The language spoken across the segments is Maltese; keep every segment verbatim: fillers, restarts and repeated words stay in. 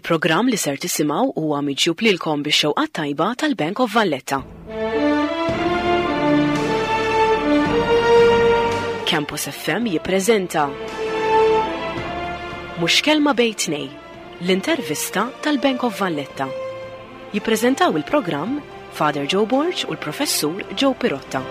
Il-programm li ser tisimgħu huwa miġjub lilkom bix-xewqat tajba tal-Bank of Valletta. Campus F M jippreżenta Mhux Kelma Bejn Tnejn, l-intervista tal-Bank of Valletta. Jippreżentaw il-programm Father Joe Borg u l-Professur Joe Pirotta.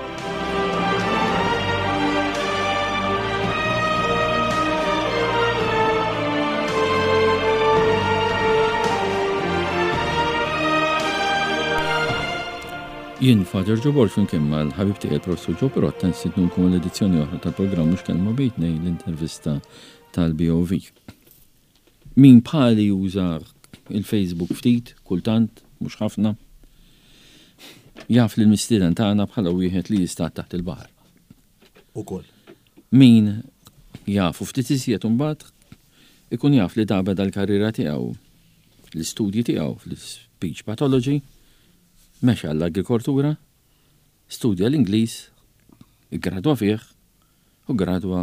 Jien Father Joe Borg flimkien mal-ħabib tiegħi il-Professur Joe Pirotta nistednukom l-edizzjoni oħra tal-programm Mhux Kelma Bejn Tnejn, l-intervista tal-B O V. Min bħali juża il-Facebook ftit, kultant, mhux ħafna, jaf li l-mistieden tagħna bħala wieħed li jista' taħt il-baħar. Ukoll. Min jafu ftit iżjed imbagħad ikun jaf li da beda l-karriera tiegħu, l-istudji tiegħu fl-speech pathology, mexa l-agrikoltura, studja l-Ingliż, iggradwa fih u gradwa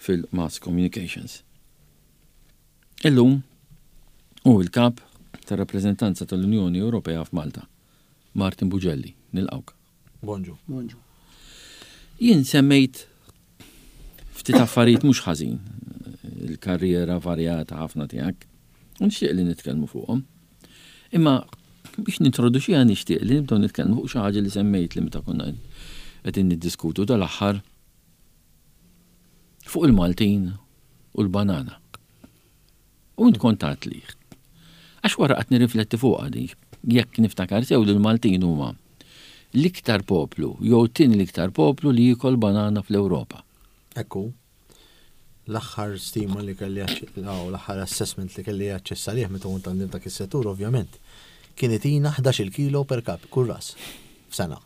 fil-Mass Communications. Illum hu il-kap tar-rappreżentanza tal-Unjoni Ewropea f'Malta, Martin Bugelli, nilqgħuk. Bonġu. Bonġu. Jien semmejt ftit affarijiet mhux ħażin, il-karriera varjata ħafna tiegħek, u nixtieq li nitkellmu fuqhom. Imma biex nintroduċiha nixtieq li nibdew nitkellmu fuq xi ħaġa li semmejt li meta konna qegħdin niddiskutu dal-aħħar fuq il-Maltin u l-banana. U int kont li. Għax wara qatt nirrifletti fuqha di, jekk niftakar sew li l-Maltin huma l-iktar poplu, jew tin l-iktar poplu li jikol banana fl-Ewropa. Ekku. L-aħħar stima li kelli l-aħħar assessment li kelli aċċess għalih meta kont għandi dak is-settur ovvjament kienet ina ħdax-il kilo per kap kull ras f'sena.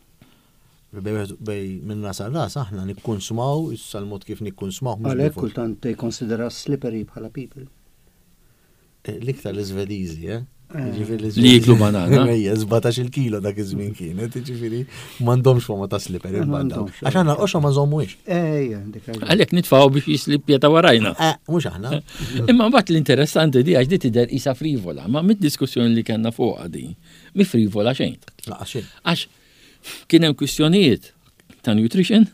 Bej minn ras għal ras aħna nikkonsumaw, issa l-mod kif nikkonsumaw. Mhux Għalhekk bil-fors. kultant they consider us slippery bħala people. Eh, L-iktar l-Svediżi, eh? Eh. Jiġifieri Li jiklu banana. Ejja, sbatax-il kilo dak iż-żmien kienet, jiġifieri m'għandhomx fama ta' slippery Eh, il-banda. m'għandhomx, Għax aħna l-qoxra ma nżommuhiex. Ejja, dik raġuni. Għalhekk nitfgħu biex jislip ta' warajna. Eh, mhux aħna. Imma mbagħad l-interessanti di għax di tidher isa frivola, ma mid-diskussjoni li kellna fuqha di, mi frivola xejn. Laqas xejn. Għax kien hemm kwistjonijiet ta' nutrition,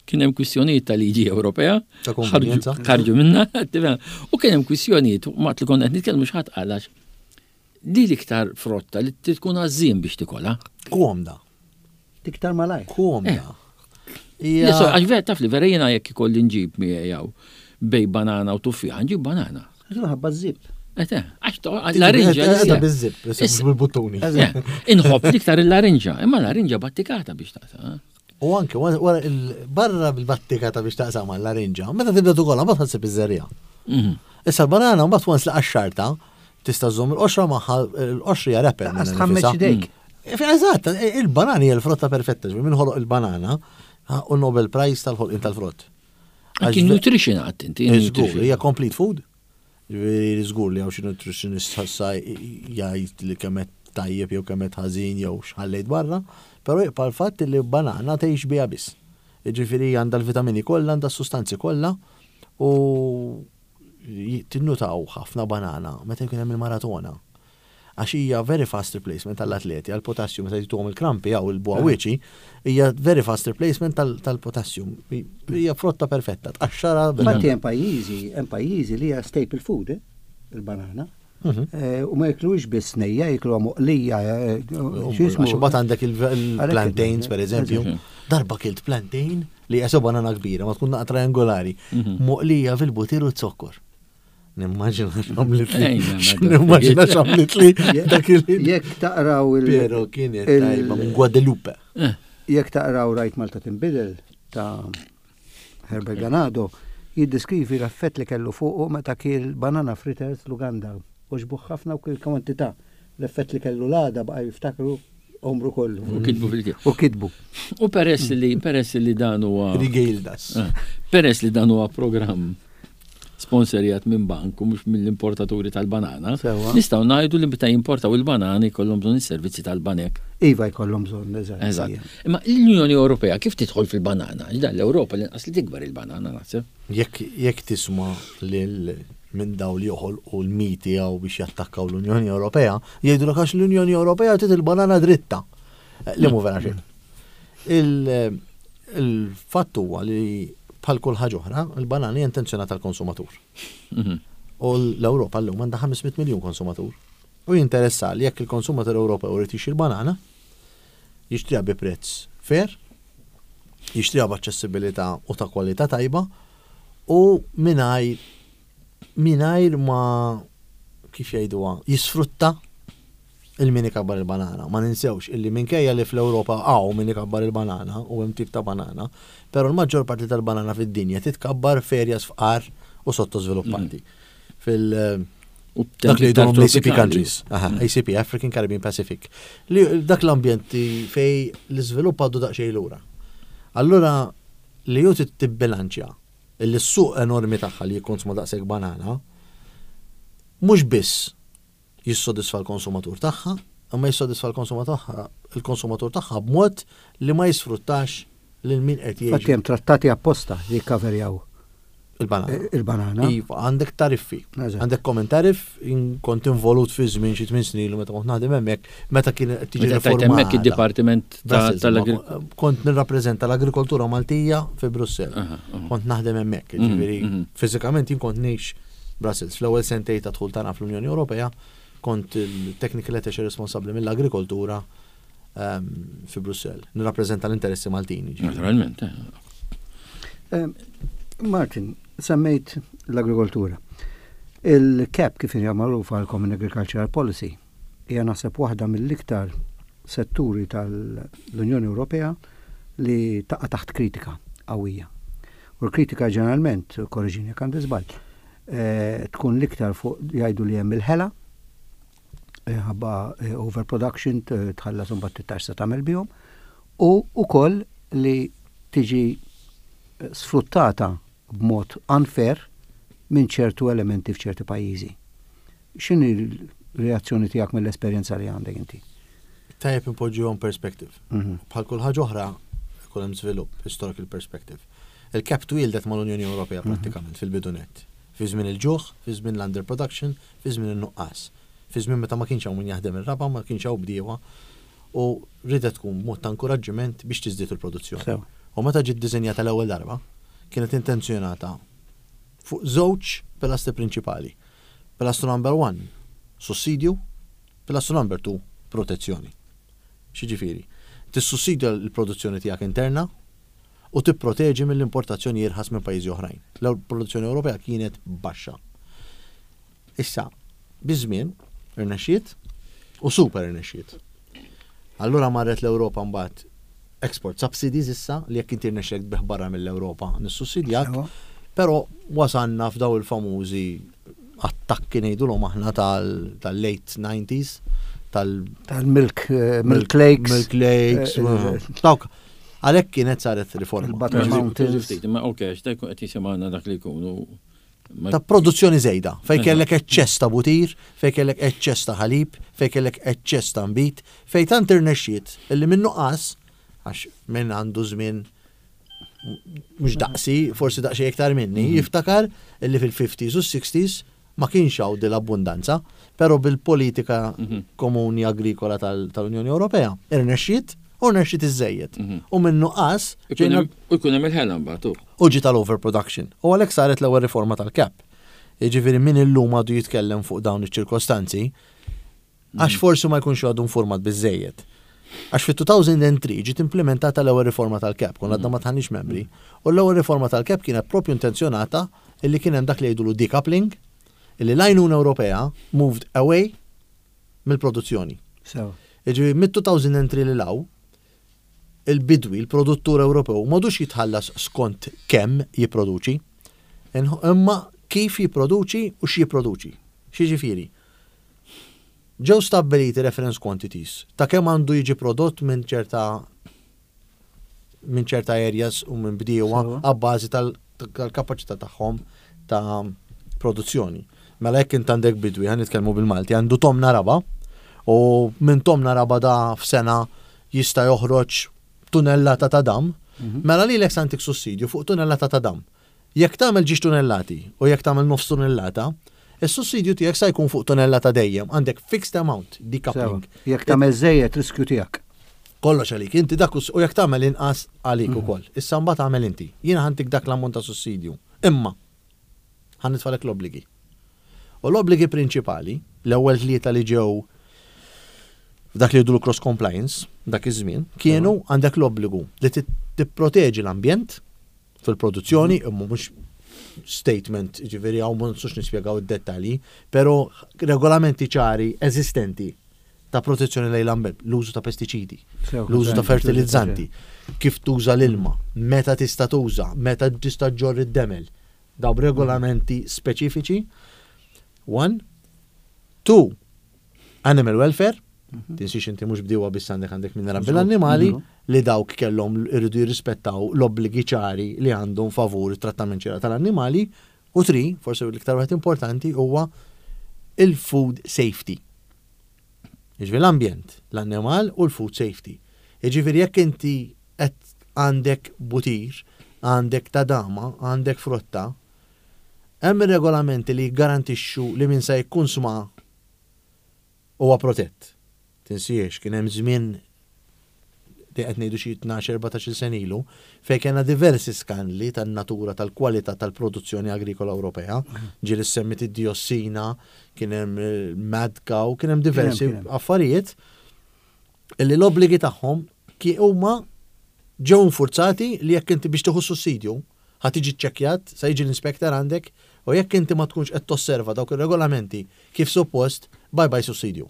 kien hemm kwistjonijiet ta' liġi Ewropea, Ta' konvenjenza. ħarġu ħarġu minna, tifhem? U kien hemm kwistjonijiet, waqt li konna qed nitkellmu x'ħadd qal għax di l-iktar frotta li tkun għażżien biex tikolha. Komda. Tiktar malaj. Komda. Le, so, għax vera taf li vera jiena jekk ikolli nġib miegħi jew bejn banana u tuffieħa, nġib banana. Ħabba żib. Ete, għax to- larinġa. Edha biż-zip, issa mhux bil-buttuni. Eh, Inħobb l-iktar il-larinġa, imma larinġa battikata biex taqsa. U anke wara il- barra bil-battikata biex taqsam l-larinġa, meta tibda tukolha ma tħassib iż-żerriegħa. Mhm. Issa l-banana mbagħad once li qaxxarta, tista' żżomm il-qoxra magħha, il-qoxra hija wrapper. Lanqas minnha tħammeġ nifisha. idejk. Eżatt, il-banana hija l-frotta perfetta, ġifieri min ħoloq il-banana u Nobel Prize tal-ħolqien tal-frott. Anki nutrition għat inti. Żgur, hija complete food. Ġifieri żgur li hawn xi nutritionist ħassa jgħid li kemm qed tajjeb jew kemm qed ħażin jew x'ħallejt barra, però jibqa' l-fatt li banana tgħix biha biss. Ġifieri għandha l-vitamini kollha, għandha s-sustanzi kollha u tinnutaw ħafna banana meta jkun hemm il-maratona. Għax hija very fast replacement tal-atleti għal-potassium meta jtuhom il-krampi jew il-bugħawwieġi, hija very fast replacement tal-potassium. Hija frotta perfetta, tqaxxara. Infatti hemm pajjiżi, hemm pajjiżi li hija staple food, eh, il-banana. Mhm. Eh, U ma jiklux biss nejja, jikluha moqlija, eh, x'ismu. Għax imbagħad għandek il-plantains, per eżempju. Darba kilt plantain li hija banana kbira, ma tkun naqra triangolari, moqlija fil-butir u zokkor. Nimmaġina x'għamlit li. Nimmaġina x'għamlit li dak il Jekk taqraw il- Pero kienet tajba minn Guadalupe. Jekk taqraw Rajt Malta Tinbidel ta' Herbert Ganado, jiddeskrivi l-effett li kellu fuqu meta kiel banana fritters l-Uganda. Għoġbuh ħafna u kiel kwantità. L-effett li kellu l-għada baqa' jiftakru għomru kollu. U kitbu fil U kitbu. U peress li peress li dan huwa Rigeldas. Eh, Peress li dan huwa programm sponsorjat minn bank u mhux mill-importaturi tal-banana, Sewa. nistgħu ngħidu li meta jimportaw il-banani jkollhom bżonn is-servizzi tal-banek. Iva jkollhom bżonn, eżatt. Eżatt. Imma l-Unjoni Ewropea kif tidħol fil-banana? Dan l-Ewropa l-inqas li tikber il-banana naħseb. Jekk jekk tisma' lil minn daw li joħolqu l-miti għaw biex jattakkaw l-Unjoni Ewropea, jgħidu għax l-Unjoni Ewropea trid il-banana dritta. Eh, Li mhu vera xejn. Il- Il-fatt huwa li bħal kull ħaġa oħra, il-banana hija intenzjonata tal-konsumatur. Mhm. U l-Ewropa llum għandha ħames mitt miljun konsumatur. U jinteressa li jekk il-konsumatur Ewropew irid jixtri banana, jixtriha bi prezz fair, jixtriha b'aċċessibilità u ta' kwalità tajba u mingħajr mingħajr ma, kif jgħiduha, jisfrutta il-min ikabbar il-banana. Ma ninsewx illi minkejja li fl-Ewropa hawn min ikabbar il-banana u hemm tip ta' banana, però l-maġġor parti tal-banana fid-dinja titkabbar f'areas fqar u sottosviluppati. Fil- U dak li iktar jgħidulhom l-A C P tropikali. Countries. Aha, A C P, African, Caribbean, Pacific. Li dak l-ambjenti fej l-iżvilupp għadu daqsxejn lura. Allura li ju tibbilanċja illi s-suq enormi tagħha li jikkonsma daqshekk banana mhux biss jissodisfa l-konsumatur tagħha, imma jissodisfa l-konsumatur tagħha il-konsumatur tagħha b'mod li ma jisfruttax lil min qed Fatti jgħix hemm trattati apposta li jikkaverjaw il-banana. il-banana. Iva, għandek tariffi. Eżatt. Għandek common tariff, jien kont involut fi żmien xi tmien snin ilu meta kont naħdem hemmhekk, meta kien qed tiġi Meta tajt hemmhekk riformata. id-Dipartiment ta' Brussels, tal-Agrikoltura. ma- Kont nirrappreżenta l-agrikoltura Maltija fi Brussell. Aha, aha. Kont naħdem hemmhekk, Mhm, ġifieri mhm. fiżikament jien kont ngħix Brussels. Fl-ewwel sentej ta' dħul tagħna fl-Unjoni Ewropea kont il-technical attaché responsabbli mill-agrikoltura ehm, fi Brussell. Nirrappreżenta l-interessi Maltini, ġifieri. Naturalment. eh. Eh, Martin, semmejt l-agrikoltura. Il-CAP, kif hija magħrufa l-Common Agricultural Policy, hija naħseb waħda mill-iktar setturi tal-Unjoni Ewropea li taqa' taħt kritika qawwija. U l-kritika ġeneralment, korreġini jekk għandi żball, eh, tkun l-iktar fuq jgħidu li hemm il-ħela, eh, ħabba eh, overproduction, t- tħallas imbagħad tix se tagħmel bihom, u ukoll li tiġi eh, sfruttata b'mod unfair minn ċertu elementi f'ċerti pajjiżi. X'inhi l-reazzjoni tiegħek mill-esperjenza li għandek inti? Tajjeb impoġġuhom perspective. Mhm. Bħal kull ħaġa oħra ikun hemm żvilupp, historical perspective. Il-CAP twieldet mal-Unjoni Ewropea prattikament fil-bidunet. Fi żmien il-ġuħ, fi żmien l-underproduction, fi żmien in-nuqqas. Fi żmien meta ma kienx hawn min jaħdem ir-raba, ma kienx hawn bdiewa u ridet tkun mod ta' inkoraġġiment biex tiżdied il-produzzjoni. Sew. U meta ġiet diżenjata l-ewwel darba, kienet intenzjonata fuq żewġ pilastri prinċipali. Pilastru number one, sussidju, pilastru number two, protezzjoni. X'jiġifieri? Tissussidja l-produzzjoni tiegħek interna u tipproteġi mill-importazzjoni irħas minn pajjiżi oħrajn. L-produzzjoni Ewropea kienet baxxa. Issa, biż-żmien irnexxiet u super irnexxiet. Allura marret l-Ewropa mbagħad export subsidies, issa li jekk inti rnexxek tbigħ barra mill-Ewropa nissussidjak, Sewa. però wasanna f'daw il-famużi attakki, ngħidulhom aħna, tal- tal-late nineties, tal- Tal-milk eh, milk lakes. Milk lakes. eh, eh, Dawk, għalhekk kienet saret riforma. Il-Butter Mountains. Ftit, ma ok, x'ta jkun qed jisimgħana dak li jkunu. ma- Ta' produzzjoni żejda, fej Eżatt. kellek eċċess ta' butir, fej kellek eċċess ta' ħalib, fej kellek eċċess ta' nbid, fej tant irnexxiet illi minn nuqqas, għax minn għandu żmien mhux daqsi, forsi daqsxejn iktar minni, jiftakar illi fil-fifties u sixties ma kienx hawn din l-abbundanza, però bil-politika Mhm. komuni agrikola tal- tal-Unjoni Ewropea irnexxiet u rnexxiet iżejjed. Mhm. U minn nuqqas Ikun ġejna hemm- U jkun hemm il-ħela mbagħad. u. u ġi tal-overproduction. U għalhekk saret l-ewwel riforma tal-CAP. Jiġifieri min illum għadu jitkellem fuq dawn iċ-ċirkostanzi, għax forsi ma jkunx għadu informat biżejjed. Għax fit-elfejn u tlieta ġiet implementata l-ewwel riforma tal-CAP, konna għadna ma dħalniex membri, u l-ewwel riforma tal-CAP kienet propju intenzjonata illi kien hemm dak li jgħidulu decoupling, illi l-għajnuna Ewropea moved away mill-produzzjoni. Sew. Jiġifieri mid-elfejn u tlieta li law, il-bidwi, il-produttur Ewropew, m'għadux jitħallas skont kemm jipproduċi, imma kif jipproduċi u x'jipproduċi. X'jiġifieri? Ġew stabbiliti reference quantities ta' kemm għandu jiġi prodott minn ċerta minn ċerta areas u minn bdiewa Sewa. għabbażi tal-kapaċità tagħhom ta' produzzjoni. Mela jekk int għandek bidwi, ħa nitkellmu bil-Malti, għandu tomna raba u minn tomna raba da f'sena jista' joħroġ tunellata ta' dam, mela lilek se ntik sussidju fuq tunellata ta' dam. Jekk tagħmel ġiex tunellati u jekk tagħmel nofs tunnellata, is-sussidju tiegħek sa jkun fuq tonnellata dejjem, għandek fixed amount, decoupling. Sewa. Jekk tagħmel żejjed riskju tiegħek. Kollox għalik, inti dak us- u jekk tagħmel inqas għalik ukoll. Issa mbagħad tagħmel inti. Jiena ħa ntik dak l-ammont ta' sussidju. Imma ħa nitfagħlek l-obbligi. U l-obbligi prinċipali, l-ewwel tlieta li ġew f'dak li jgħidu cross compliance, dak iż-żmien, kienu għandek l-obbligu li tit- tipproteġi l-ambjent fil-produzzjoni, imma mhux statement, ġifieri hawn ma nistgħux nispjegaw id-dettalji, però regolamenti ċari eżistenti ta' protezzjoni lejn l-ambjent, l-użu ta' pestiċidi, Sew, l-użu ta' sew, fertilizzanti, kif tuża l-ilma, meta tista' tuża, meta tista' ġorr id-demel. Daw regolamenti speċifiċi. One. Two, animal welfare. Tinsix inti mhux bdiewa biss għandek għandek min rabbi l-annimali li dawk kellhom irridu jirrispettaw l-obbligi ċari li għandhom favur it-trattament ċira tal-annimali. U three, forsi l-iktar wieħed importanti huwa il-food safety. Jiġifieri l-ambjent, l-annimal u l-food safety. Jiġifieri jekk inti qed għandek butir, għandek tadama, għandek frotta, hemm regolamenti li jgarantixxu li min se jikkunsma huwa protett. Tinsiex, kien hemm żmien li qed ngħidu xi tnax erbatax-il sena ilu fejn kellna diversi skandli tan-natura tal-kwalità tal-produzzjoni agrikola Ewropea. Ġieli semmit id-diossina, kien hemm il-mad cow, kien hemm diversi Kien hemm, kien hemm. affarijiet illi l-obbligi tagħhom ki huma ġew infurzati li jekk inti biex tieħu sussidju ħa tiġi ċċekkjat, sa jiġi l-inspector għandek u jekk inti ma tkunx qed tosserva dawk ir-regolamenti kif suppost, bye bye sussidju.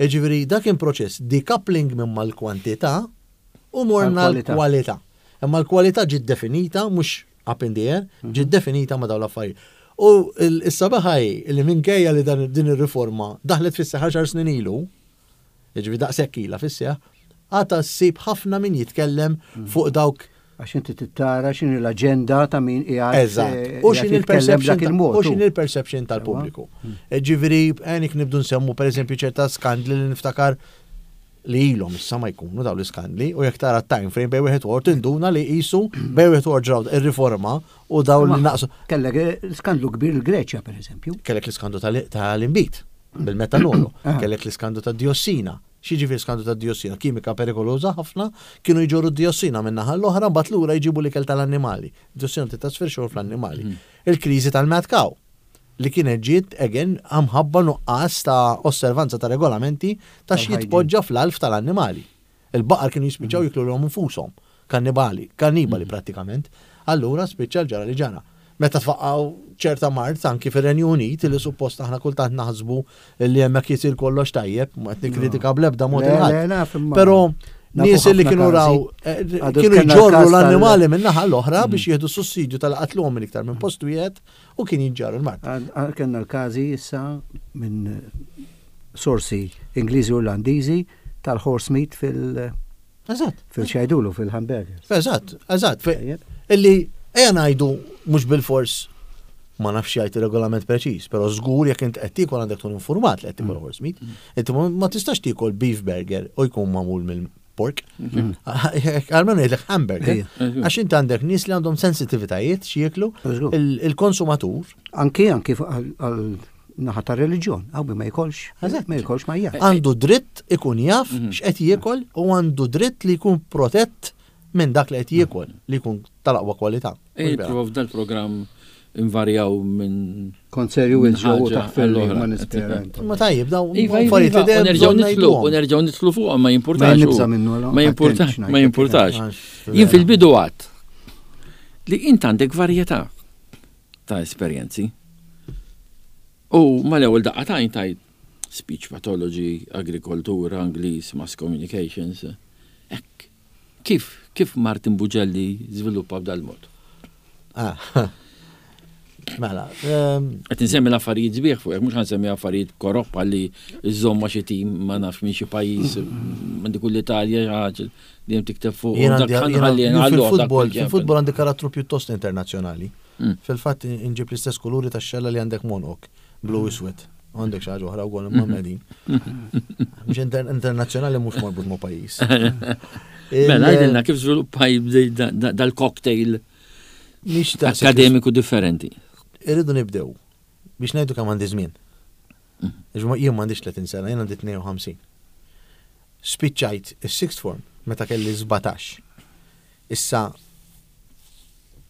Jiġifieri dak kien proċess decoupling minn mal-kwantità u morna Għal-kwalità. l-kwalità. Imma l-kwalità ġiet definita mhux up in the air, ġiet definita ma' dawn l-affarijiet. U is-sabiħa hi li minkejja li dan din ir-riforma daħlet fis-seħħ għaxar snin ilu, jiġifieri daqshekk ilha fis-seħħ, għadha ssib ħafna min jitkellem fuq dawk. Għax inti tittara x'inhi l-aġenda ta' min qiegħed Eżatt. eh, U qiegħed x'inhi jitkellem il-perception b'dak il-mod. u x'inhi il-perception tal-pubbliku. Ġifieri għenik nibdu nsemmu pereżempju ċerta skandli li niftakar li ilhom issa ma jkunu dawn l-iskandli u jekk tara time frame bejn wieħed u ieħor tinduna li qisu bejn wieħed u ieħor ġraw ir-riforma u dawn li naqsu. Kellek eh, skandlu kbir il-Greċja per eżempju. Kellek l-iskandlu tal- tal-imbit bil-metanolu, Ah. kellek l-iskandlu tad-diossina. X'jiġifieri skandlu tad-diossina? Kimika perikoloża ħafna, kienu jġorru d-diossina minn naħa l-oħra, mbagħad lura jġibu l-ikel tal-annimali. Diossina titrasferixxu fl-annimali. Il-kriżi tal-mad cow li kienet ġiet again minħabba nuqqas ta' osservanza ta' regolamenti ta' Tal-hygiene. x'jitpoġġa fl-alf tal-annimali. Il-baqar kienu jispiċċaw jiklu lilhom infushom, kannibali, kannibali prattikament. Allura spiċċa l-ġara li ġara. Meta tfaqqaw ċerta mard anki fir-Renju Unit li suppost aħna kultant naħsbu li hemmhekk jisir kollox tajjeb, ma qed nikkritika bl-ebda mod Le, il-ħadd. le, naf imma- Però nafu nies li ħafna kienu każi. raw eh, Għadu kienu kellna jġorru l-każ tal- l-annimali minn naħa l-oħra biex jieħdu sussidju tal-qatluhom minn iktar minn post wieħed u kien jiġġarru l-mard. Għad- għad Kellna l-każi issa minn eh, sorsi Ingliżi u Irlandiżi tal-horse meat fil- Eżatt. fil-xajdulu fil-hamburgers. Eżatt, eżatt. Fe- Tajjeb. Illi ejja ngħidu mhux bil-fors ma nafx jgħid ir-regolament preċiż, però żgur jekk int qed tiekol għandek tkun informat li qed tiekol horse meat. Inti ma ma tistax tiekol beef burger u jkun magħmul mill-pork. Almenu jgħidlek hamburger. Ejja. Għax inti għandek nies li għandhom sensitivitajiet x'jieklu Żgur. il- il-konsumatur Anki anki fuq għal- għal naħa ta' reliġjon, għaw ma jkolx, Eżatt. ma jkolx ma jgħid. għandu dritt ikun jaf x'qed jiekol u għandu dritt li jkun protett minn dak li qed jiekol li jkun tal-aqwa kwalità. Ej, prova f'dal-programm invarjaw minn Kont serju minn il-ġew ħaġa taħfel li għall-oħra. ma nispera. Ma tajjeb, daw Iva, iva, affarijiet iva, li u dejjem nerġgħu bżonn nitlu, ngħiduhom. u nerġgħu nitlu fuq ma jimpurtax. Ma nibża' u- minnu, allora, Ma jimpurtax, attent ma x'ngħid. jimpurtax. Għax, Jien fil-bidu għat li int għandek varjetà ta' esperjenzi. U mal-ewwel daqqa ta' tajt speech pathology, agrikoltura, Ingliż, mass communications. Ek, kif, kif Martin Bugelli żviluppa b'dal-mod? Ah. Mela, ehm, Qed insemmi l-affarijiet sbieħ fuq, mhux ħansemmi affarijiet koroppa li żomma xi tim ma nafx minn xi pajjiż, minn dik l-Italja xi ħaġa li hemm tikteb fuq. jien dak għandi- ħanħalli jien nħalluh dak fil-futbol, fil-ġenb. fil-futbol għandi karattru pjuttost internazzjonali. Mm. Fil-fatt inġib l-istess kuluri tax-xella li għandek monok, blu u iswed. Għandek xi ħaġa oħra wkoll imma medin. Mhux inter- internazzjonali mhux marbut ma' pajjiż. Mela, Il- għidilna kif żviluppaj dal-cocktail Mhix daqshekk- Akademiku differenti. Irridu nibdew biex ngħidu kemm għandi żmien. Għax ma- Jien m'għandix tletin sena, jien għandi tnejn u ħamsin. Spiċċajt is-sixth form meta kelli sbatax. Issa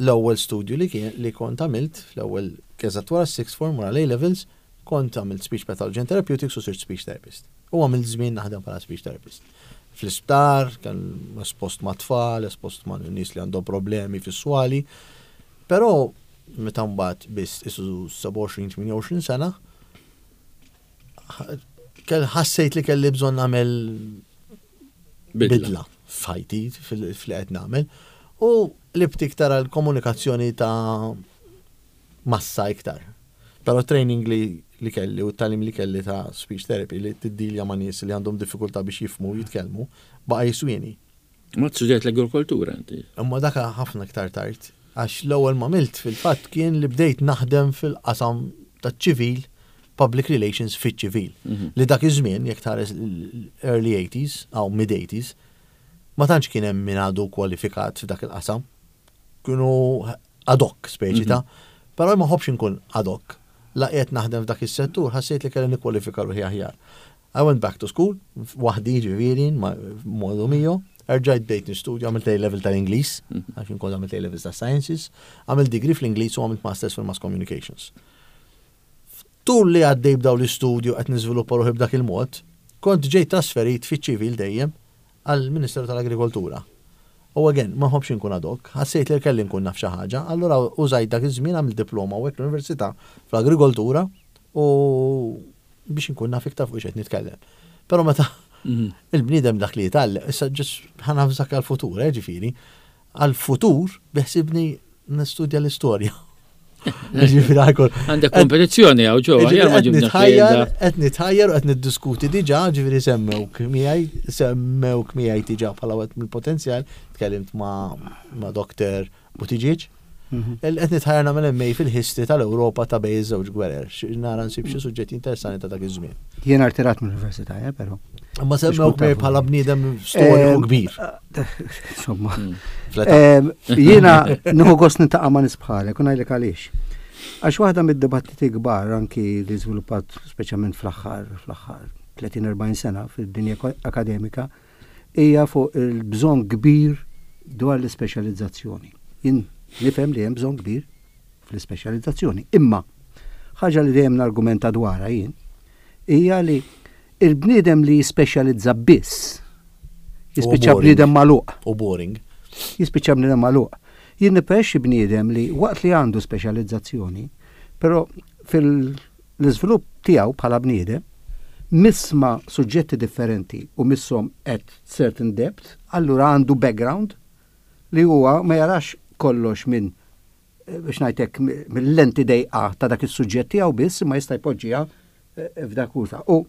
l-ewwel studju li kien li kont għamilt fl-ewwel eżatt wara s-sixth form, wara l-A levels, kont għamilt speech pathology and therapeutics u sirt speech therapist. U għamilt żmien naħdem bħala speech therapist. Fl-isptar, kien espost ma' tfal, espost ma' nies li għandhom problemi fis-swali. Però meta mbagħad biss isu sebgħa u għoxrin, tmienja u għoxrin sena, ħ- kell ħassejt li kelli bżonn nagħmel bidla f'ħajti fil- fil qed nagħmel u qlibt iktar għal komunikazzjoni ta' massa iktar. Però training li, li kelli u t-tagħlim li kelli ta' speech therapy li tiddilja ma' nies li għandhom diffikultà biex jifhmu u jitkellmu baqa' jiswieni. Ma studjajt l-agrikoltura inti. Imma daka ħafna iktar tard. Għax l-ewwel ma għamilt fil-fatt kien li bdejt naħdem fil-qasam taċ-ċivil, public relations fiċ-ċivil. Mhm. Li dak iż-żmien, jekk tħares l-early eighties aw mid-eighties, ma tantx kien hemm min għadu kwalifikat f'dak il-qasam. Kienu ad hoc speċi ta' però ma nħobbx inkun ad hoc. La qiegħed naħdem f'dak is-settur, ħassejt li kelli nikkwalifika ruħi aħjar. I went back to school, waħdi ġifieri, ma- modo mio, erġajt bdejt nistudja, għamilt A level tal-Ingliż, għax inkun għamilt A levels ta' Sciences, għamilt degree fl-Ingliż u għamilt Masters fil-Mass Communications. Tul li għaddej b'daw l-istudju qed niżviluppa ruħi b'dak il-mod, kont ġejt trasferit fiċ-ċivil dejjem għall-Ministeru tal-Agrikoltura. U again, ma nħobbx inkun ad hoc, ħassejt li kelli nkun naf xi ħaġa, allura użajt dak iż-żmien, għamilt diploma u hekk l-università fl-agrikoltura u biex inkun naf iktar fuq x'qed nitkellem. Però meta Mhm. il-bniedem dak li jitgħallem, issa ġis ħa navżak għal-futur, eh, ġifieri, għal-futur beħsibni nistudja l-istorja. Ġifieri għakol. Għandek kompetizzjoni hawn ġewwa, aħjar ma Qed ġibna nitħajjar, xieda. qed nitħajjar u qed niddiskuti diġà, ġifieri semmewk miegħi, semmewk miegħi diġà bħala wieħed mill-potenzjal, tkellimt ma' ma' Doktor Buttigieg. Mhm. Qed nitħajjar nagħmel M A fil-history tal-Ewropa ta' bejn iż-żewġ gwerer. Xi- Nara nsib xi suġġetti interessanti ta' dak iż-żmien. Jien irtirat mill-università, eh, però. Ma semmewk tafu. miegħi bħala bniedem storiku Em, kbir. Insomma. Fl-età. Em, Jiena nieħu gost niltaqa' ma' nies bħalek, u ngħidlek għaliex. Għax waħda mid-dibattiti kbar anki li żviluppat speċjalment fl-aħħar fl-aħħar tletin erbgħin sena fid-dinja akademika hija fuq il-bżonn kbir dwar l-ispeċjalizzazzjoni. Jien nifhem li hemm bżonn kbir fl-ispeċjalizzazzjoni. Imma ħaġa li dejjem nargumenta dwarha jien hija li il-bniedem li jispeċjalizza biss jispiċċa boring. bniedem magħluq, U boring. jispiċċa bniedem magħluq. Jien nippreferi bniedem li waqt li għandu speċjalizzazzjoni, però fil-iżvilupp tiegħu bħala bniedem misma suġġetti differenti u misshom at certain depth, allura għandu background li huwa ma jarax kollox minn eh, biex ngħidlek mill-lenti dejqa ta' dak is-suġġett tiegħu biss, ma jista' jpoġġiha eh, f'dak usa. U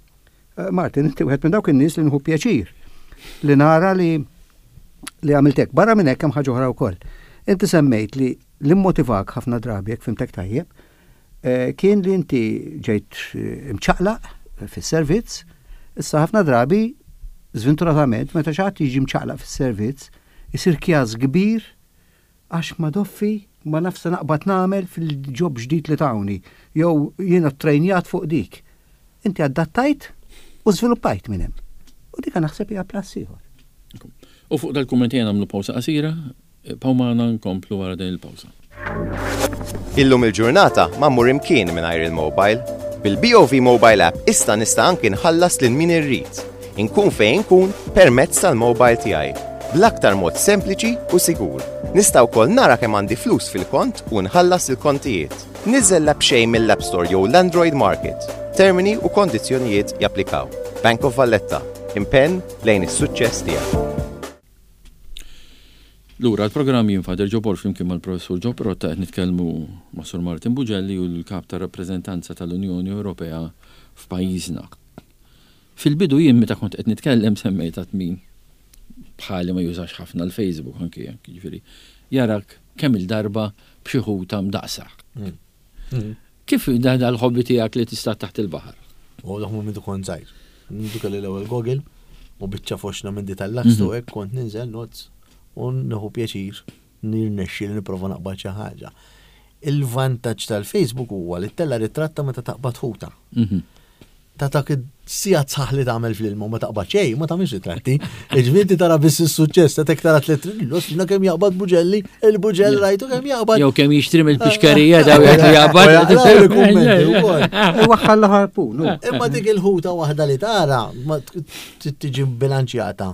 eh, Martin, inti wieħed minn dawk in-nies li nħu pjaċir li nara li li għamiltek. Barra minn hekk hemm ħaġa oħra wkoll. Inti semmejt li l-immotivak ħafna drabi, jekk fhimtek tajjeb, eh, kien li inti ġejt eh, imċaqlaq fis-servizz, issa ħafna drabi, żventuratament, meta xi ħadd jiġi mċaqlaq fis-servizz, isir kjaż kbir għax ma doffi ma nafsa naqbad nagħmel fil-job ġdid li tawni, jew jiena trejnjat fuq dik. Inti adattajt u żviluppajt minn hemm. U dik naħseb hija plus ieħor. U fuq dal-kummenti nagħmlu pawsa qasira, ibqgħu magħna, nkomplu wara din il-pawsa. Illum il-ġurnata ma mmur imkien mingħajr il-mobile. Bil-B O V Mobile App issa nista' anki nħallas lil min irrid. Inkun fejn inkun permezz tal-mobile tiegħi. Bl-aktar mod sempliċi u sigur. Nista' wkoll nara kemm għandi flus fil-kont u nħallas il-kontijiet. Niżel l-app b'xejn mill-App Store jew l-Android Market. Termini u kondizzjonijiet japplikaw. Bank of Valletta. Impenn lejn is-suċċess tiegħek. Lura l-programm, jien Father Joe Borg flimkien mal-professur Joe Pirotta qed nitkellmu ma' Sur Martin Bugelli u l-kap ta' rappreżentanza tal-Unjoni Ewropea f'pajjiżna. Fil-bidu jien meta kont qed nitkellem semmejt għat min bħali ma jużax ħafna l-Facebook anki jekk, jiġifieri jarak kemm il-darba b'xi ħuta mdaqsa. Kif da dal-hobby tiegħek li tista' taħt il-baħar? U dak minn kont żgħir. Mindu kelli l-ewwel goggle u biċċa foxna minn di tal-lakstu hekk kont ninżel notes u nieħu pjaċir Nirnexxi li nipprova naqbad xi ħaġa. Il-vantaġġ tal-Facebook huwa li ttella' ritratta meta taqbad ħuta. Mhm. Ta' dak sigħat sħaħ li tagħmel fl-ilma u ma taqbad xejn, ma tagħmilx ritratti. Jiġifieri inti tara biss is-suċċess, ta' tek tara tliet l kemm jaqbad buġelli, il-buġell rajtu kemm jaqbad. Jew kemm jixtri mill-pixkerija daw jgħid li jaqbad. U jaqraw il-kummenti wkoll. Waħħal ħarpun. hu. Imma dik il-ħuta waħda li tara ma t- tiġi bilanċjata.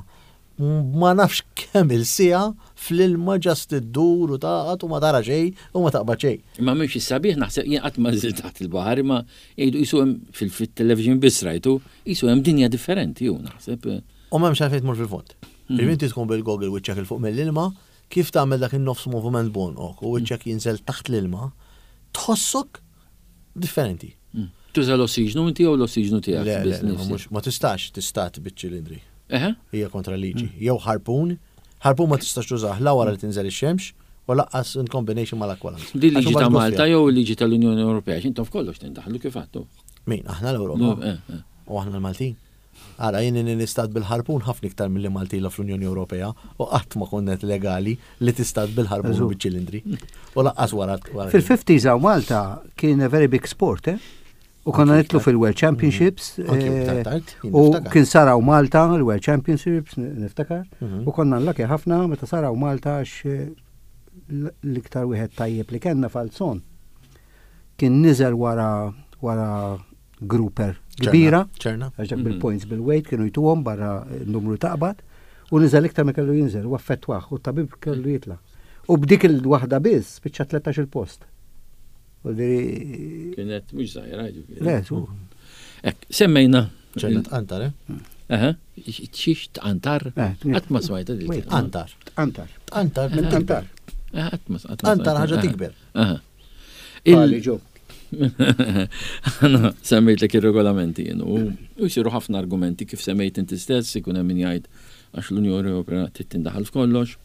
Ma nafx kemm il-siegħa fl-ilma just iddur u taqgħod u ma tara xejn u ma taqbad xejn. Ma mhux is-sabiħ naħseb jien qatt ma nżilt taħt il-baħar imma jgħidu qisu hemm fil-television biss rajtu, qisu hemm dinja differenti ju naħseb. U m'hemmx għalfejn tmur fil-fond. Mm. Inti tkun bil-goggle wiċċek 'il fuq mill-ilma, kif tagħmel dak in-nofs movement b'għonqok u wiċċek jinżel taħt l-ilma, tħossok differenti. Mm. Tuża l-ossiġnu inti jew l-ossiġnu tiegħek? Le, le, biss le, nifsi? mhux- ma tistax tistad biċ-ċilindri. Eħe? Hija kontra liġi. Jew harpoon, harpoon ma tistax tużah la wara li tinżel ix-xemx u lanqas in combination mal-aqualungs. Din liġi Għax ta' imbagħad Malta goffja. jew liġi tal-Unjoni Ewropea, x'intom f'kollox tindaħlu kif għattu. Min, aħna l-Ewropa. Eh, eh. U aħna l-Maltin. Ara, jien nistad bil-harpoon ħafna iktar mill-li Malti la fl-Unjoni Ewropea u qatt ma konnet legali li tistad bil-harpoon Eżu. u bil-ċilindri. U lanqas wara. wara- Fil-fifties hawn Malta kien a very big sport, eh? U konna nitlu fil-World Championships. Anki eh, iktar tard, jien U niftakar. kien saraw Malta, il-World Championships, niftakar. Mhm. U konna lucky ħafna meta saraw Malta għax eh, l- l-iktar wieħed tajjeb li kellna Falzon. Kien niżel wara wara grouper ċerna, kbira. ċerna. Għax dak Mhm. bil-points bil-weight kienu jtuhom barra n-numru taqbad u niżel iktar ma kellu jinżel u affettwah u t-tabib kellu jitla. U b'dik il-waħda biss spiċċa tlettax il-post. U diri. Kienet mhux żgħira ġifieri. Le, su. Ek, semmejna. ċerna tqantar, eh? Eħe, xiex tqantar? Eh, Qatt ma smajta dil. Wait, Tqantar. Tqantar. Tqantar minn Tqantar. tikber. Eh, Qatt ma qatt ma Tqantar smajta. ħaġa Eħe. tikber. Eħe. Pali Il- ġo. Għana semmejtlek ir-regolamenti jien u u jsiru ħafna argumenti kif semmejt inti stess ikun hemm min jgħid għax l-Unjoni Ewropea trid tindaħal f'kollox.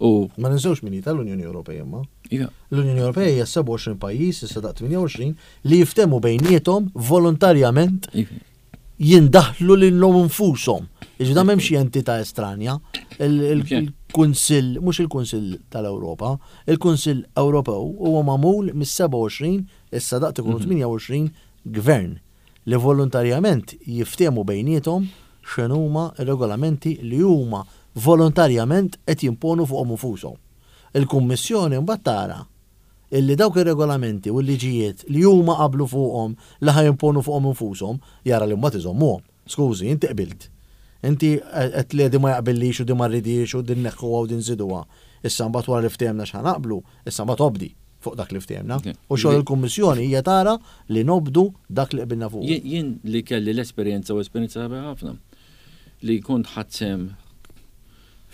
U Ma ninsewx min hi tal-Unjoni Ewropea imma. iva, L-Unjoni Ewropea hija sebgħa u għoxrin pajjiż, issa daqt tmienja u għoxrin, li jiftemu bejniethom volontarjament iva. jindaħlu lilhom infushom. Iġi da m'hemmx xi entità estranja. Il- il- Il-Kunsill, mhux il-Kunsill tal-Ewropa, il-Kunsill Ewropew huwa magħmul mis-sebgħa u għoxrin, issa daqt ikunu tmienja u għoxrin gvern li volontarjament jiftemu bejniethom x'inhuma r-regolamenti li huma volontarjament qed jimponu fuqhom infushom. Il-Kummissjoni mbagħad tara illi dawk ir-regolamenti u l-liġijiet li huma qablu fuqhom li ħa jimponu fuqhom infushom jara li mbagħad iżommuhom. Skużi, inti qbilt. Inti qed li di ma jaqbillix u di ma rridix u din neħħuha u din żiduha. Issa mbagħad wara li ftehemna x'ħa naqblu, issa mbagħad obdi fuq dak li ftehemna. Ok. U xogħol il-Kummissjoni hija tara li nobdu dak li qbilna fuq. Jien jien li kelli l-esperjenza u esperjenza sabiħa ħafna li kont ħadsem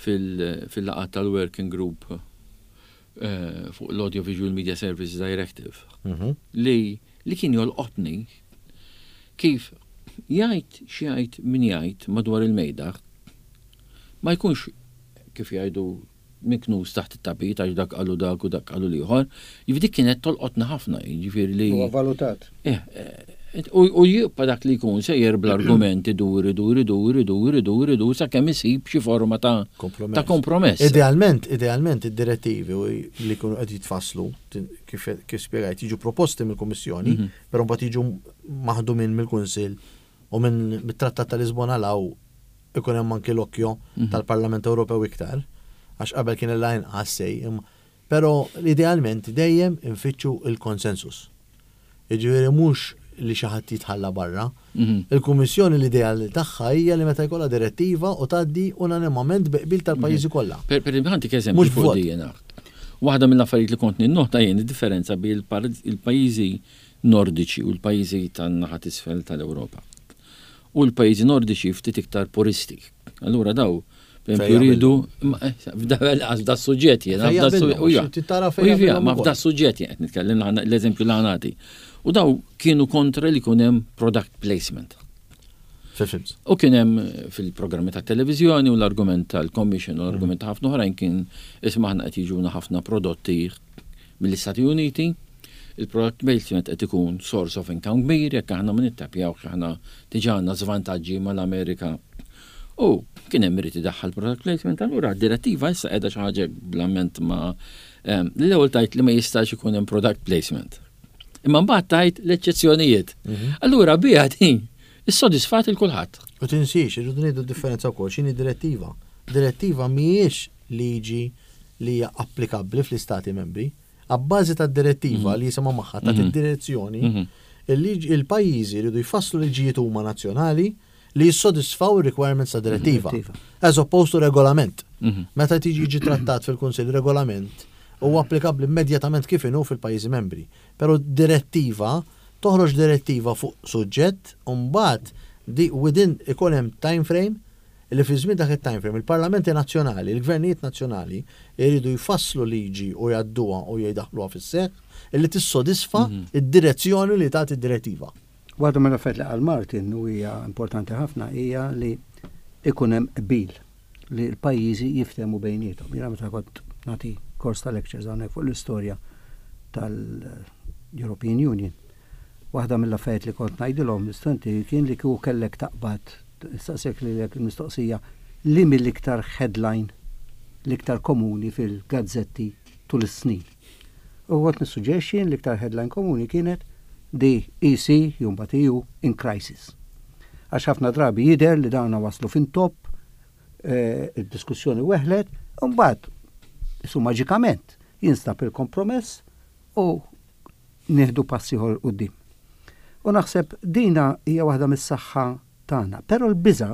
fil-laqgħat tal-working group eh, fuq l-Audiovisual Media Services Directive Mhm. li li kien jolqotni kif jgħid xi jgħid min jgħid madwar il-mejda ma jkunx kif jgħidu miknus taħt it-tapit għax dak qalu dak u dak qalu l-ieħor. Jiġifieri dik kienet tolqotna ħafna, jiġifieri li Huwa valutat. Eh, eh, U u jibqa' dak li jkun sejjer bl-argumenti dur, dur, dur, dur, dur, dur, sakemm isib xi forma ta' Kompromess. ta' kompromess. Idealment, idealment id-direttivi u li jkunu qed jitfasslu tin- kif kif spjegajt jiġu proposti mill-Kummissjoni, Mhm. però mbagħad jiġu maħdumin mill-Kunsill u minn mit-Trattat ta' Lisbona law ikun hemm anki l-okkjo Mhm. tal-Parlament Ewropew iktar, għax qabel kien il-lajn sej, imma però idealment dejjem infittxu il-konsensus. Jiġifieri mhux li xi ħadd jitħalla barra. Mhm. Il-Kummissjoni l-ideal tagħha hija li meta jkollha direttiva u tgħaddi unanimament bi qbil tal-pajjiżi kollha. Per per għantik eżempju Mhux fuq vot. di jena. Waħda mill-affarijiet li kont ninnota jien id-differenza bejn il-pajjiżi nordiċi u l-pajjiżi tan-naħa t'isfel tal-Ewropa. U l-pajjiżi nordiċi ftit iktar puristi. Allura daw, per Fejn esempio, jridu ma, eh, f'da f'da suġġett jiena, Fejn f'da su- jaqbilhom, u ja. xi tara U fejn jivja, jaqbilhom ma ukoll. f'da suġġett jien qed nitkellem l- l-eżempju li ħanati. U daw kienu kontra li jkun hemm product placement. Fil-films. U kien hemm fil-programmi ta' televiżjoni u l-argument tal-Commission u l-argument ta' ħafna oħrajn kien isma' aħna qed jiġuna ħafna prodotti mill-Istati Uniti. Il-product placement qed ikun source of income kbir jekk aħna ma nittapjawx aħna diġà għandna żvantaġġi mal-Amerika U kien hemm irid idaħħal product placement, allura d-direttiva issa qiegħda xi ħaġa bl-amment ma em, l-ewwel tajt li ma jistax ikun hemm product placement. Imma mbagħad tajt l-eċċezzjonijiet. Allura biha din issodisfat il kulħadd. U tinsiex, irridu ngħidu differenza wkoll x'inhi direttiva. Direttiva mhijiex liġi li hija applikabbli fl-istati membri. Abbażi ta' direttiva li jisimha magħha ta' Mhm. id-direzzjoni, Mhm. il-liġi- il-pajjiżi jridu jfasslu liġijiet huma nazzjonali li jissodisfaw il-requirements ta' direttiva. Direttiva. As opposed to regolament. Mhm. Meta tiġi jiġi trattat fil-Kunsill regolament huwa applikabbli immedjatament kif inhu fil-pajjiżi membri. Però direttiva toħroġ direttiva fuq suġġett u mbagħad di within ikun hemm time frame li fi żmien dak it-time frame il-parlamenti nazzjonali, il-gvernijiet nazzjonali jridu jfasslu liġi u jgħadduha u jdaħluha fis-seħħ illi tissodisfa id-direzzjoni li tagħti id-direttiva. Waħda mill-affarijiet li qal Martin u hija importanti ħafna hija li ikun hemm qbil li l-pajjiżi jiftehmu bejniethom. Jiena meta kont nagħti kors ta' lectures hawnhekk fuq l-istorja tal-European Union. Waħda mill-affarijiet li kont ngħidilhom l-istudenti kien li kieku kellek taqbad staqsek li l mistoqsija li mill-iktar headline l-iktar komuni fil-gazzetti tul is-snin. U kont nissuġġerixxi l-iktar headline komuni kienet the E C, mbagħad E U, in crisis. Għax ħafna drabi jider li dawna waslu fin top, eh, il-diskussjoni weħlet, mbagħad su maġikament jinstab il-kompromess u nieħdu passi 'l quddiem. U naħseb dina hija waħda mis-saħħa tagħna. Però l-biża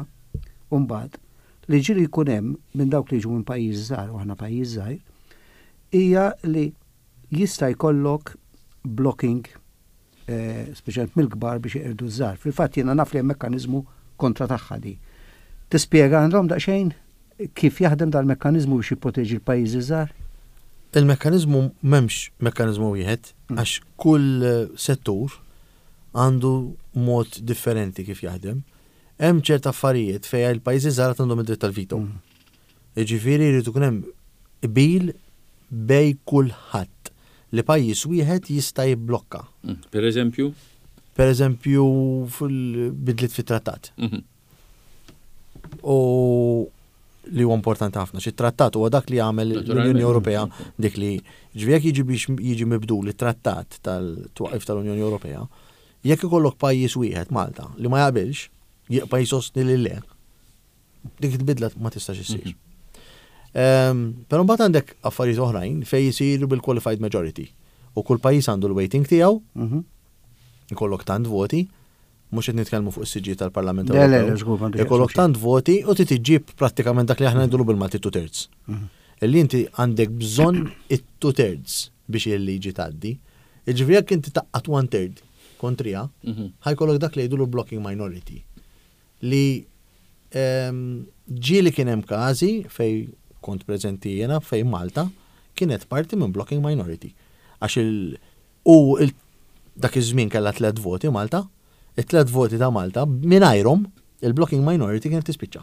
mbagħad li ġieli jkun hemm minn dawk li jiġu minn pajjiż żgħar u aħna pajjiż żgħir hija li jista' jkollok blocking eh, speċjalment mill-kbar biex iqirdu żgħar. Fil-fatt jiena naf li hemm mekkaniżmu kontra tagħha di. Tispjega għandhom daqsxejn kif jaħdem dal-mekkaniżmu biex jipproteġi l-pajjiżi żgħar? Il-mekkanizmu m'hemmx mekkanizmu wieħed Mm. għax kull eh, settur għandu mod differenti kif jaħdem. Hemm ċert affarijiet fejn il-pajjiżi żgħar għandhom id-dritt tal-veto. Mm. Jiġifieri jrid ikun hemm qbil bejn kulħadd li pajjiż wieħed jista' jibblokka. Mm. Per eżempju? Per eżempju fil-bidliet fit-trattat. Mhm. U li huwa importanti ħafna, xi trattat huwa dak li jagħmel l-Unjoni Naturalment. Ewropea dik li ġifieri jekk jiġi biex jiġi mibdul it-trattat tal-twaqif tal-Unjoni Ewropea, jekk ikollok pajjiż wieħed Malta li ma jaqbilx, jibqa' jsostni li le, dik il-bidla ma tistax issir. Ehm, Però mbagħad għandek affarijiet oħrajn fejn jisiru bil-qualified majority. U kull pajjiż għandu l-weighting tiegħu, Mhm. ikollok tant voti, mhux qed nitkellmu fuq is-siġġi tal-Parlament Le, le, le, Ewropew. żgur, m'għandux Ikollok x'jaqsam tant voti u trid iġġib prattikament dak li aħna ngħidulu bil-Malti two thirds. Mhm. Illi inti għandek bżonn it-two thirds biex il-liġi tgħaddi. Jiġifieri jekk inti taqqat one third kontrija, Mhm. ħa jkollok dak li jgħidulu blocking minority. Li ehm, ġieli kien hemm każi fej kont preżenti jiena fej Malta kienet parti minn blocking minority. Għax il u il, dak iż-żmien kellha tliet voti Malta, it-tliet voti ta' Malta mingħajrhom il-blocking minority kienet tispiċċa.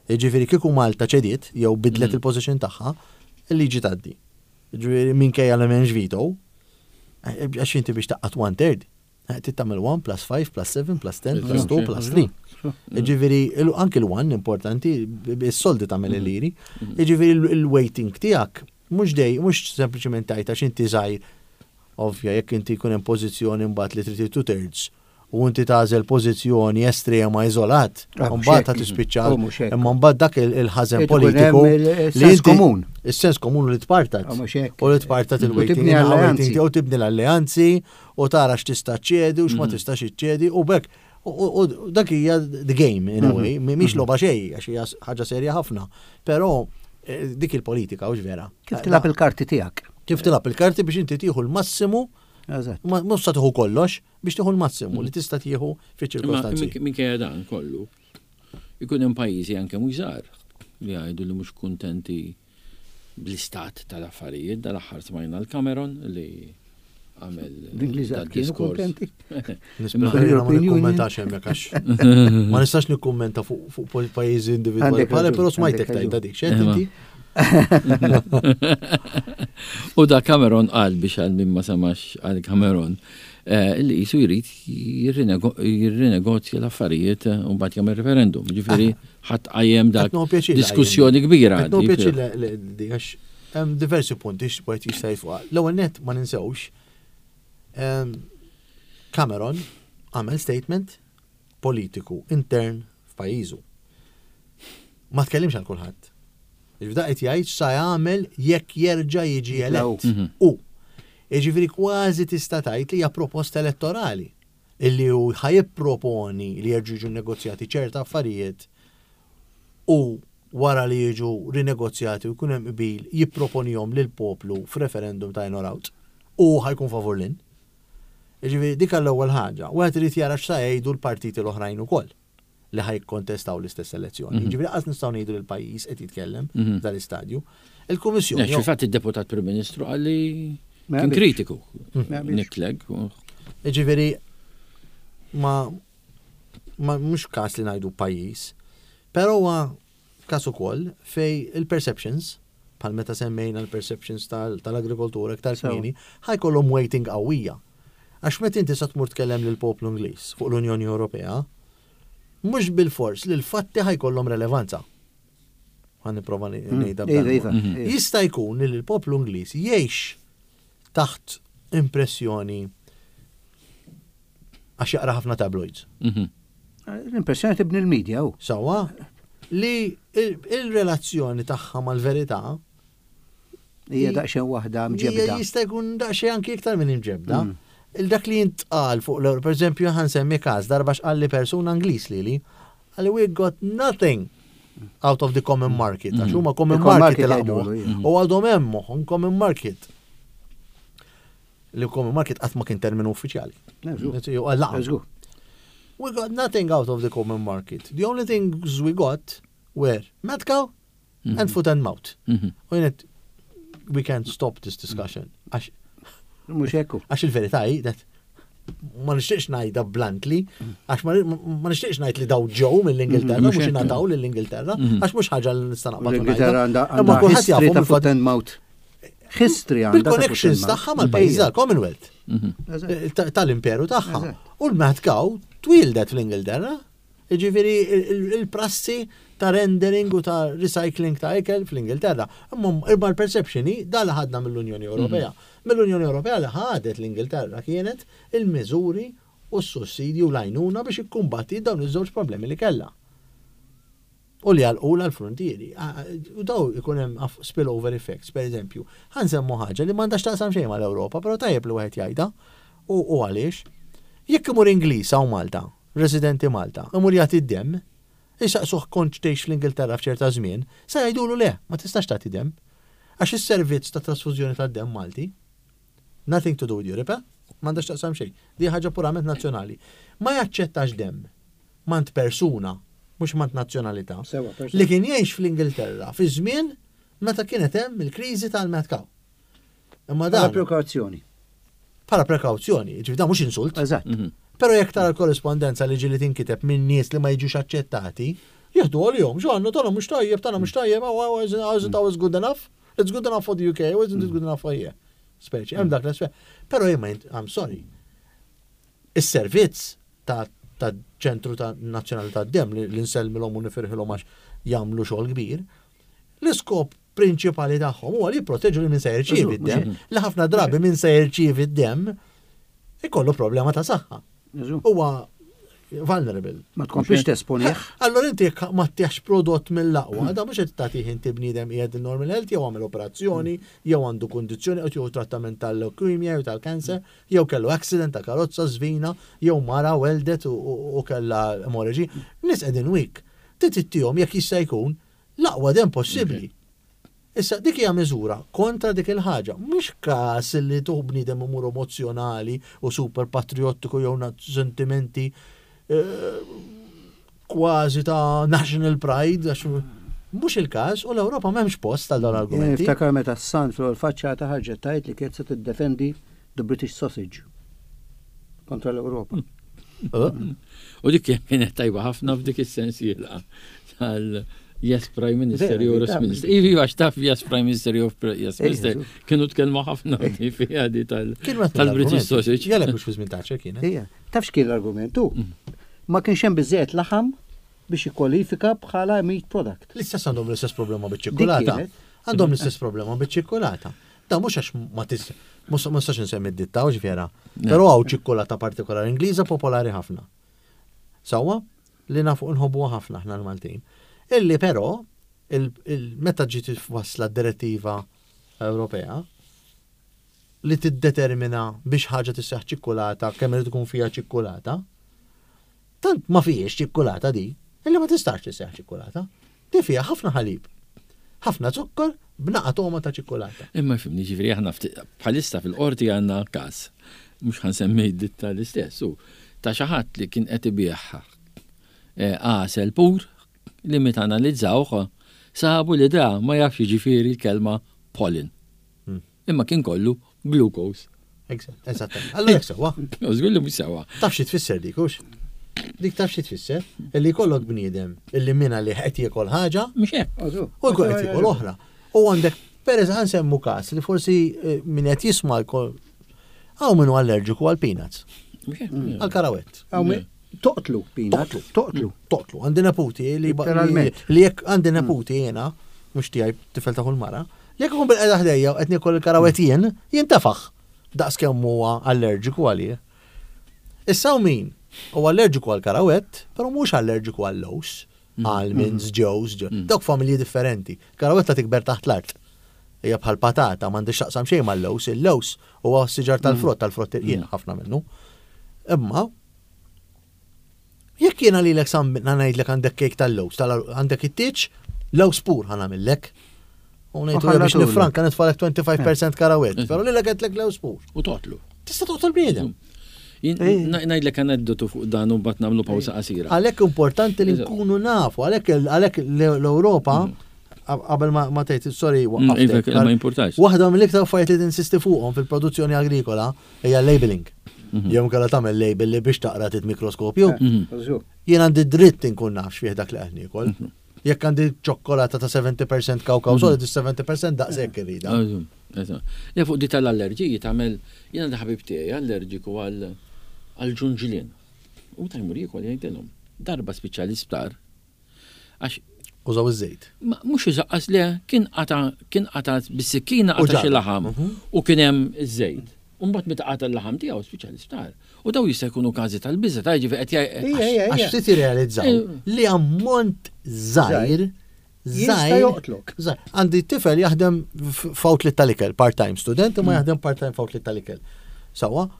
Jiġifieri kieku Malta ċediet jew bidlet Mm. il-position tagħha, il-liġi tgħaddi. Jiġifieri minkejja li m'hemmx veto, eh, għax inti biex taqqat one third, eh, trid tagħmel one plus five plus seven plus ten plus two plus three. Jiġifieri il- anki l-one importanti, is-soldi tagħmel il-liri. Jiġifieri il- il-weighting tiegħek mhux dej, mhux sempliċement tajt għax inti żgħir. Ovvja, jekk inti jkun hemm pożizzjoni mbagħad li trid two thirds u inti tagħżel pożizzjoni estrema iżolat, Ah, mhux mbagħad hekk. ta' tispiċċa Oh, mhux hekk. imma mbagħad dak il- il-ħażen Irid ikun politiku hemm il- sens inti- komun. Is-sens komun li tpartat. Ah, mhux hekk. U li tpartat U il-weighting, tibni il-weighting alleanzi. u tibni l-alleanzi u tara x'tista' ċedi u x'ma tistax iċċedi u bekk u- u u dak hija the game in a way, mhix logħba xejn għax hija ħaġa serja ħafna. Però eh, dik il-politika hux vera. Kif tilgħab il-karti tiegħek? Kif tilgħab il-karti biex inti tieħu l-massimu, Eżatt. ma mhux sa tieħu kollox, biex tieħu l-massimu li tista' tieħu Imma fiċ-ċirkostanzi. minkejja dan kollu, ikun hemm pajjiżi anke mhux żgħar li jgħidu li mhux kuntenti bl-istat tal-affarijiet, dal-aħħar smajna l-Cameron li għamel L-Ingliżi dat kienu diskors. kontenti. Nispera ma European Union. nikkummentax hemmhekk għax ma nistax nikkummenta fuq fuq pajjiżi individwali Għandek bħala, raġun, però smajtek għandek tajta raġun. dik, xejn Imma. inti? U da Cameron qal biex għal min ma samax għal Cameron eh, li jisu jrid jirrinego- jirrinegozja l-affarijiet eh, u mbagħad jagħmel referendum. Ġifieri ħadd qajjem dak Qed nieħu pjaċir li diskussjoni kbira. Qed nieħu di- pjaċir li- li- di għax hemm diversi punti x'wieħed jista' jitfuq. L-ewwel net ma ninsewx em, Cameron għamel statement politiku intern f'pajjiżu. Ma tkellimx għal kulħadd. Ġifieri qed jgħid sa jagħmel jekk jerġa' jiġi elett. Mhm. U jiġifieri kważi tista' tgħid li hija proposta elettorali illi hu ħa jipproponi li jerġgħu jiġu negozjati ċerta affarijiet u wara li jiġu rinegozjati u jkun hemm qbil jipproponihom lil poplu f'referendum ta' in or out u ħa jkun favur l-in. Jiġifieri dik l-ewwel ħaġa. Wieħed irid jara x'sa jgħidu l-partiti l-oħrajn ukoll li ħa jikkontestaw l-istess elezzjoni. Jiġifieri qas nistgħu ngħidu li l-pajjiż qed jitkellem Mhm. dal-istadju. Il-Kummissjoni Fil-fatt id-deputat Prim Ministru qalli Ma kien jaqbilx. kritiku. Ma jaqbilx. Nick Clegg. u- Ġifieri, ma, ma mhux kas li ngħidu pajjiż, però huwa kas ukoll fej il-perceptions, bħal meta semmejna l-perceptions tal- tal-agrikoltura iktar Sewa. kmieni, ħa jkollhom weighting qawwija. Għax meta inti sa tmur tkellem lil poplu Ingliż fuq l-Unjoni Ewropea, mhux bil-fors li l-fatti ħa jkollhom relevanza. Ħa nipprova ngħidha Iva, b'dan iva. il-mod. iva. Jista' jkun li l-poplu Ingliż jgħix taħt impressjoni għax jaqra ħafna tabloids. Mhm. L-impressjoni tibni l-medja u. Sawa li il- il-relazzjoni tagħha mal-verità Hija daqsxejn waħda mġebda. hija jista' jkun daqsxejn anki iktar minn imġebda. Mm. Il-dak li jintqal fuq l per eżempju ħa nsemmi każ darba x'qalli persuna Ingliż lili, qalli we got nothing out of the common market. Għax huma common Il-common market market laqmuh. jgħidulu, ija. U għadhom hemm moħħhom common market. Li common market qatt ma kien terminu uffiċjali. Żgur. Laqam. Żgur. We got nothing out of the common market. The only things we got were mad cow and foot and mouth. Mhm. U jenet, we can't stop this discussion. Għax Mhux hekk. għax il-verità hi that ma nixtieqx ngħidha bluntly, għax ma ma nixtieqx ngħid li daw ġew mill-Ingilterra, Mhux mhux hekk. ingħataw lill-Ingilterra, għax mhux ħaġa li nista' naqbad u L-Ingilterra ngħidha. għandha Imma għandha kulħadd history jafhom ta' il-fatt foot and mouth. History għandha ta' foot and bil-connections mouth. tagħha mal-pajjiż tal-Commonwealth. Eżatt. Eh, ta- tal-imperu tagħha. Eżatt. U l-mad cow twildet fl-Ingilterra. Ġifieri il- il-prassi ta' rendering u ta' recycling ta' ikel fl-Ingilterra. Imma imma l-perception hi da li ħadna mill-Unjoni Ewropea. Mill-Unjoni Ewropea li ħadet l-Ingilterra kienet il-miżuri u s-sussidju u l-għajnuna biex ikkumbatti dawn iż-żewġ problemi li kellha. U li għalqula l-frontieri. Ah, U daw ikun hemm aff- spillover effects, per eżempju. Ħa nsemmu ħaġa li m'għandax taqsam xejn mal-Ewropa, però tajjeb li wieħed jgħidha. U u għaliex? Jekk imur Ingliż hawn Malta, residenti Malta, imur jagħti d-dem, jisaqsuh kont tgħix fl-Ingilterra f'ċerta żmien, sa jgħidulu le, ma tistax tagħti dem. Għax is-servizz ta' trasfużjoni tad-dem Malti, nothing to do with Europe, eh? m'għandax taqsam xejn. Di ħaġa purament nazzjonali. Ma jaċċettax dem mant persuna, mhux mant nazzjonalità, Sewa, persuna. li kien jgħix fl-Ingilterra fi żmien meta kienet hemm il-kriżi tal-mad cow. Imma Bħala dan prekawzjoni. bħala prekawzjoni, ġifieri dan mhux insult. Eżatt. Però jekk tara l-korrespondenza li ġieli tinkiteb minn nies li ma jiġux aċċettati, jieħdu għalihom, x'għandu tagħna mhux tajjeb, tagħna mhux tajjeb, oh, isn't ours good enough? It's good enough for the U K, isn't it good enough for here? Speċi, hemm dak l-aspett. Però jien ma jint- I'm sorry. Is-servizz ta' ta' ċentru ta' nazzjonali ta' dem li li nsellmilhom u nifirħilhom għax jagħmlu xogħol kbir, l-iskop prinċipali tagħhom huwa li jipproteġu li min se jirċievi d-dem. Li ħafna drabi min se jirċievi d-dem ikollu problema ta' saħħa. Eżu. Huwa vulnerable. Ma tkomplix tesponih. Allora inti jekk ma tieħx prodott mill-aqwa, da mhux qed tagħtih inti bniedem qiegħed normal health jew għamel operazzjoni, jew għandu kundizzjoni jew trattament tal-leukemia jew tal-cancer, jew kellu accident ta' karozza żvina, jew mara weldet u- u u kellha hemorrhage. Nies qegħdin weak. Titihom jekk jista' jkun l-aqwa dem possibbli. Issa dik hija miżura kontra dik il-ħaġa. Mhux każ li tuħ bniedem imur emozzjonali u super patriottiku jew na- sentimenti eh, kważi ta' national pride, għax mhux il-każ u l-Ewropa m'hemmx post għal dawn l-argumenti. Niftakar meta s-Sun fil-faċċata ħarġet tgħid li kienet se tiddefendi the British sausage kontra l-Ewropa. Eh, U dik kienet tajba ħafna f'dik is-sensiela tal Yes, Prime Minister, Vera, jew vera. Minister. Ivi, għax taf Yes, Prime Minister, jew Yes, Ejja, Minister. żgur. Kienu tkellmu ħafna di fiha di tal- Kien wieħed tal-British mill-argumenti. sausage. Jalla mhux fi żmien Thatcher kienet. Ija, taf x'kien l-argument hu? Ma kienx hemm biżejjed laħam biex jikkwalifika bħala meat product. L-istess għandhom l-istess problema biċ-ċikkulata. Dik kienet. Għandhom l-istess problema biċ-ċikkulata. Da mhux għax ma tis mhux ma nistax insemmi d-ditta u ġifiera. Però hawn ċikkulata partikolari Ingliża popolari ħafna. Sewwa li nafu nħobbuha ħafna aħna l-Maltin. Illi però il- il- meta ġiet wasla d-direttiva Ewropea li tiddetermina biex ħaġa tisseħ ċikkulata kemm irid tkun fiha ċikkulata, tant ma fijiex ċikkulata di, illi ma tistax tisseħ ċikkulata. Di fiha ħafna ħalib, ħafna zokkor b'naqa toma ta' ċikkulata. Imma fimni ġifieri aħna fti- bħalissa fil-qorti għandna każ, mhux ħansemmi d-ditta l-istess, u ta' xi ħadd li kien qed ibigħ eh, għasel pur li meta analizzawh sabu li da ma jafx jiġifieri l-kelma pollen. Hmm. Imma kien kollu glucose. Eżattament. Allora jekk sewwa. U żgur li mhux sewwa. Taf xi tfisser dik hux? Dik taf xi tfisser? Illi jkollok bniedem illi minna li qed jiekol ħaġa Mhux hekk. u jkun qed jiekol oħra. U għandek per ħansemmu każ li forsi eh, min qed jisma' jkun hawn minnu allerġiku għal peanuts, Mhux hekk. għal karawett. Hawn min- Toqtlu, peanut, toqtlu. Toqtlu, għandi neputi li Literalment. li jekk għandi neputi jiena, mhux tiegħi tifel ta' kull mara, li jekk ikun bil-qeda ħdejja u qed niekol il-karawett jien, jintefaħ. Daqs kemm huwa allerġiku għalih. Issa u min huwa allerġiku għal karawett, però mhux allerġiku għal lows, almonds, ġewż, ġew- dawk familji differenti. Karawetta tikber taħt l-art. Hija bħal patata, m'għandix taqsam xejn mal-lows, il-lows huwa siġar tal-frott, tal-frott irqien ħafna minnu. Imma Jekk jiena lilek sam ngħidlek għandek kejk tal-lows, tal għandek it-tieġ, lows pur ħa nagħmillek. U ngħidu U biex ħallatulu. nifranka nitfalek twenty-five percent karawett, però lilek għedtlek lows pur. U toqtlu. Tista' toqtol bniedem. Jien- na- Ngħidlek aneddotu fuq dan u mbagħad nagħmlu pawsa qasira. Għalhekk importanti li Eżatt. nkunu nafu, għalhekk għalhekk l-Ewropa qabel ma ma tgħid, sorry, Mm, waqqaftek. Iva, ma importax. Waħda mill-iktar affarijiet li tinsisti fuqhom fil-produzzjoni agrikola hija labeling. Jew kellha tagħmel label li biex taqra tit mikroskopju. Jien għandi dritt inkun naf x'fih dak li qed niekol. Jekk għandi ċokkolata ta' seventy percent kawkaw solid, seventy percent daqshekk irrida. Eżatt, eżatt. Le, fuq di tal-allerġiji tagħmel, jiena da ħabib tiegħi allerġiku għal għal ġunġlien. U ta' jmur jiekol jgħidilhom. Darba spiċċa l-isptar. Għax Użaw iż-żejt. ma mhux iżaqqas, le, kien qata kien qata bis-sikkina U qata xi ġarra. laħam u kien hemm iż-żejt. U mbagħad meta qata l-laħam tiegħu spiċċa l-isptar. U daw jista' jkunu każi tal-biża' ta' ġifi qed jgħid. Ija, ija, Għax ija. ftit jirrealizzaw li ammont żgħir Jista' żgħir joqtlok. żgħir. Għandi tifel jaħdem f- f'outlet tal-ikel, part-time student, imma jaħdem part-time f'outlet tal-ikel. Sawa,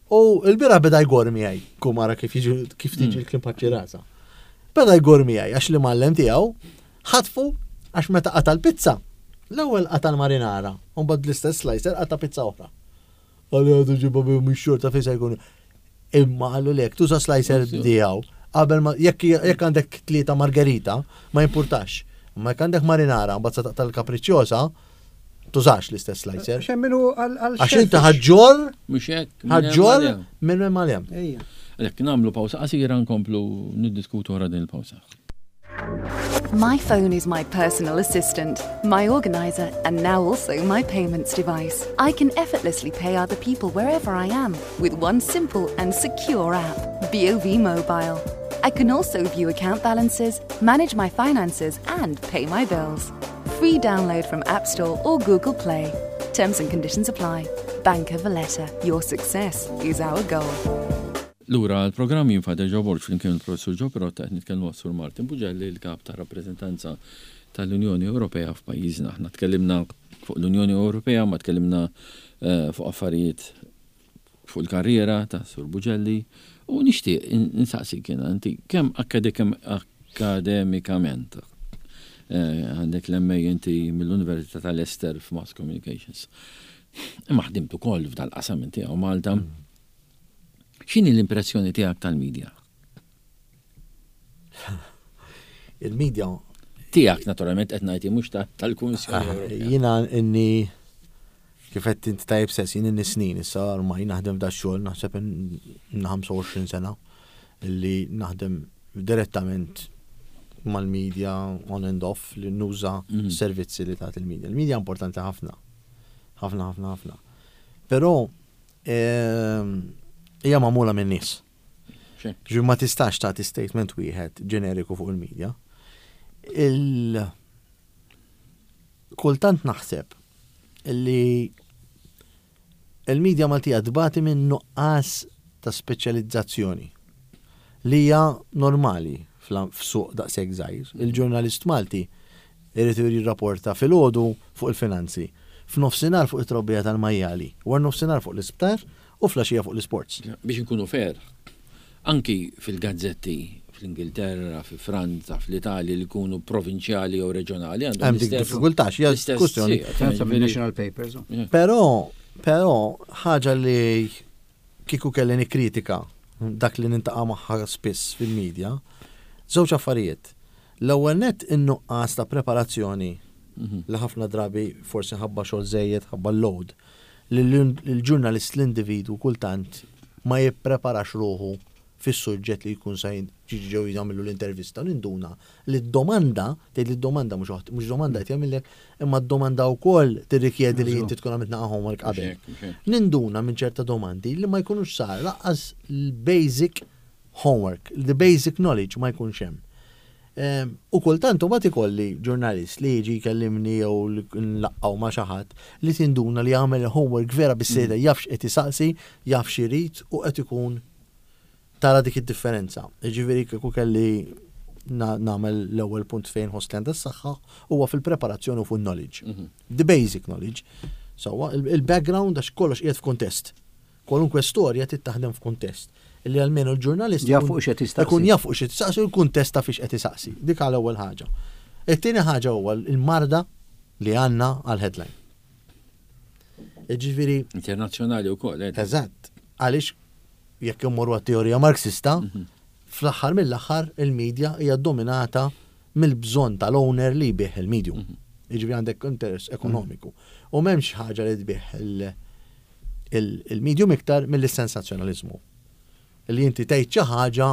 u l-bieraħ beda jgor miegħi, kumara kif jiġu kif tiġi l-klim rasa. Beda jgor miegħi għax l-imgħallem tiegħu ħatfu għax meta qata l-pizza. L-ewwel qata l-marinara, u mbagħad l-istess slicer qata pizza oħra. Għalli għadu ġibba bi mux xorta fejn se jkun. Imma għallu lek, tuża slicer tiegħu. Qabel ma jekk jekk għandek tlieta margarita, ma jimpurtax. Ma jekk għandek marinara, mbagħad sa taqta' l-kapriċjosa, tużax l-istess slicer. Għax minnu għal Għax inti ħaġġor, Mhux hekk. Minn hemm ħaġġor għal hemm. minn hemm għal hemm. Ejja. Għalhekk nagħmlu pawsa qasira, nkomplu niddiskutu wara din il-pawsa. My phone is my personal assistant, my organizer, and now also my payments device. I can effortlessly pay other people wherever I am with one simple and secure app, B O V Mobile. I can also view account balances, manage my finances, and pay my bills. Free download from App Store or Google Play. Terms and conditions apply. Bank of Valletta. Your success is our goal. Lura l-programm, jien Father Joe Borg flimkien il-Professur Joe Pirotta, qed nitkellmu għas-Sur Martin Bugelli, il-kap ta' rappreżentanza tal-Unjoni Ewropea f'pajjiżna. Aħna tkellimna fuq l-Unjoni Ewropea, ma tkellimna eh, fuq affarijiet fuq il-karriera ta' Sur Bugelli u nixtieq insaqsik jiena inti kemm akademikament eh, għandek l-M A inti mill-Università ta' Leicester f'Mass Communications. Imma ħdimt ukoll f'dal-qasam inti hawn Malta. X'inhi l-impressjoni tiegħek tal-medja? Il-medja Tiegħek naturalment qed ngħid, mhux tal-Kummissjoni Ewropea. Jiena inni kif qed inti tajb sess, jien inni snin issa ormai naħdem da xogħol, naħseb in ħamsa u għoxrin sena illi naħdem direttament mal-media on and off li nuża Mhm. servizzi li tagħti il-media. Il-media importanti ħafna. Ħafna, ħafna, ħafna. Però ehm, hija magħmula minn nies. Xek. Ġi ma tistax tagħti statement wieħed ġeneriku fuq il-media. Il kultant naħseb li il-media Maltija tbati minn nuqqas ta' speċjalizzazzjoni li hija normali fl- f'suq daqshekk żgħir. Il-ġurnalist Malti irid jirrapporta filgħodu fuq il-finanzi, f'nofsinhar fuq it-trobbija tal-majjali, wara nofsinhar fuq l-isptar u filgħaxija fuq l-isports. Biex nkunu fair, anki fil-gazzetti fl-Ingilterra, fi Franza, fl-Italja li jkunu provinċjali jew reġjonali għandhom Hemm dik l-istess- diffikultà, xi l-istess kwestjoni. sija, Franza ġifieri- national papers. oh. Yeah. Però, però, ħaġa li kieku kelli nikkritika dak li niltaqa' magħha spiss fil-medja, żewġ affarijiet. L-ewwel net in-nuqqas ta' preparazzjoni Mhm. li ħafna drabi forsi ħabba xogħol żejjed, ħabba load, li l-ġurnalist l-individu kultant ma jippreparax ruħu fis-suġġett li jkun sa ġiġi ġew jagħmlu l-intervista ninduna li d-domanda, tgħid li d-domanda mhux waħd- mhux domanda qed jagħmillek, imma d-domanda wkoll tirrikjedi li inti tkun għamilt naqa' homework qabel. Mhux hekk, mhux hekk. Ninduna minn ċerta domandi li ma jkunux sar lanqas l-basic homework, the basic knowledge ma jkunx hemm. Em, U kultant u ikolli ġurnalist li jiġi jkellimni jew li nlaqqaw ma' xi ħadd li tinduna li jagħmel homework vera bis-sejda jaf x'qed isaqsi, jaf x'irid u qed ikun tara dik id-differenza. Jiġifieri kieku kelli na- nagħmel l-ewwel punt fejn ħoss li għandha s-saħħa huwa fil-preparazzjoni u fuq knowledge. The basic knowledge. So, il-background għax kollox qiegħed f'kuntest. Kwalunkwe storja trid taħdem f'kuntest. Illi almenu l-ġurnalist Jaf ikun- fuq x'qed jistaqsi. Ikun jaf fuq x'qed jistaqsi u l-kuntest ta' fiex qed isaqsi. Dik għal ewwel ħaġa. It-tieni ħaġa huwa l-marda li għandna għal-headline. Ġifieri, Internazzjonali wkoll, eh. eżatt, għaliex jekk immorru għat-teorija marxista, fl-aħħar mill-aħħar il-medja hija dominata mill-bżonn tal-owner li jbigħ il-medium. Jiġifieri għandek interess ekonomiku. U m'hemmx ħaġa li tbigħ il- il- il-medium iktar mill-sensazzjonalizmu. Li inti tgħid xi ħaġa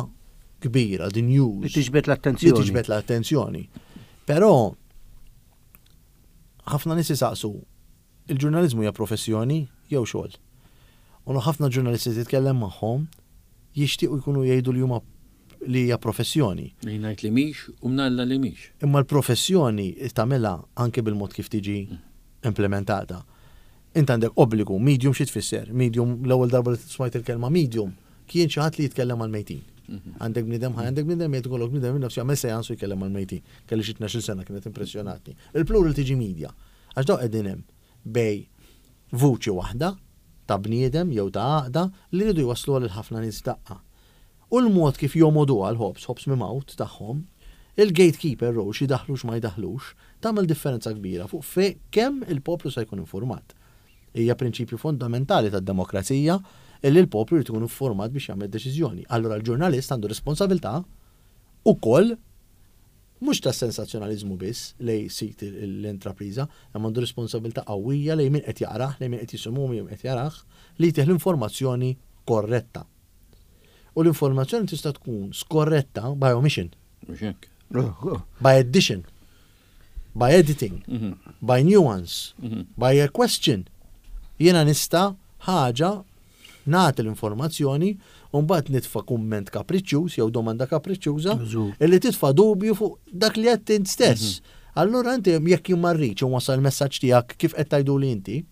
kbira, the news. Li tiġbed Li l-attenzjoni. tiġbed l-attenzjoni. Però ħafna nies isaqsu il-ġurnalizmu hija professjoni jew xogħol. U ħafna ġurnalisti titkellem magħhom jixtiequ jkunu jgħidu li huma li hija professjoni. Li ngħid li mhix u mnalla li mhix. Imma l-professjoni tagħmilha anke bil-mod kif tiġi implementata. Int għandek obbligu, medium xi tfisser? Medium l-ewwel darba li smajt il-kelma medium kien xi ħadd li jitkellem għal mejtin. Għandek bniedem ħaj, għandek bniedem jgħid ikollok bniedem minn nafsu jagħmel seansu jkellem għal mejtin. Kelli xi tnax-il sena kienet impressjonatni. Il-plural tiġi media. Għax daw qegħdin hemm bejn vuċi waħda ta' bniedem jew ta' għaqda li rridu jwaslu għal ħafna nies daqqa. U l-mod kif jomodu għal ħobż, ħobż mimgħut tagħhom, il-gatekeeper role xi daħlux ma jdaħlux, tagħmel differenza kbira fuq fe kemm il-poplu se jkun informat. Hija prinċipju fondamentali tad-demokrazija illi l-poplu jrid ikun informat biex jagħmel deċiżjoni. Allura l-ġurnalist għandu responsabilità ukoll mhux ta' sensazzjonalizmu biss lej sit l-intrapriża, imma għandu responsabilità qawwija lejn min qed jaqrah, lejn min qed jisimgħu min qed jarah li jtih l-informazzjoni korretta. U l-informazzjoni tista' tkun skorretta by omission, Mhux hekk. by addition, by editing, Mhm. by nuance, Mhm. by a question. Jiena nista' ħaġa nagħti l-informazzjoni u mbagħad nitfa' kumment kapriċċjuż jew domanda kapriċċjuża Żgur. illi titfa' dubju fuq dak li qed int stess. Allura inti jekk jien ma rridx inwassal il-messaġġ tiegħek kif qed tgħidu li inti,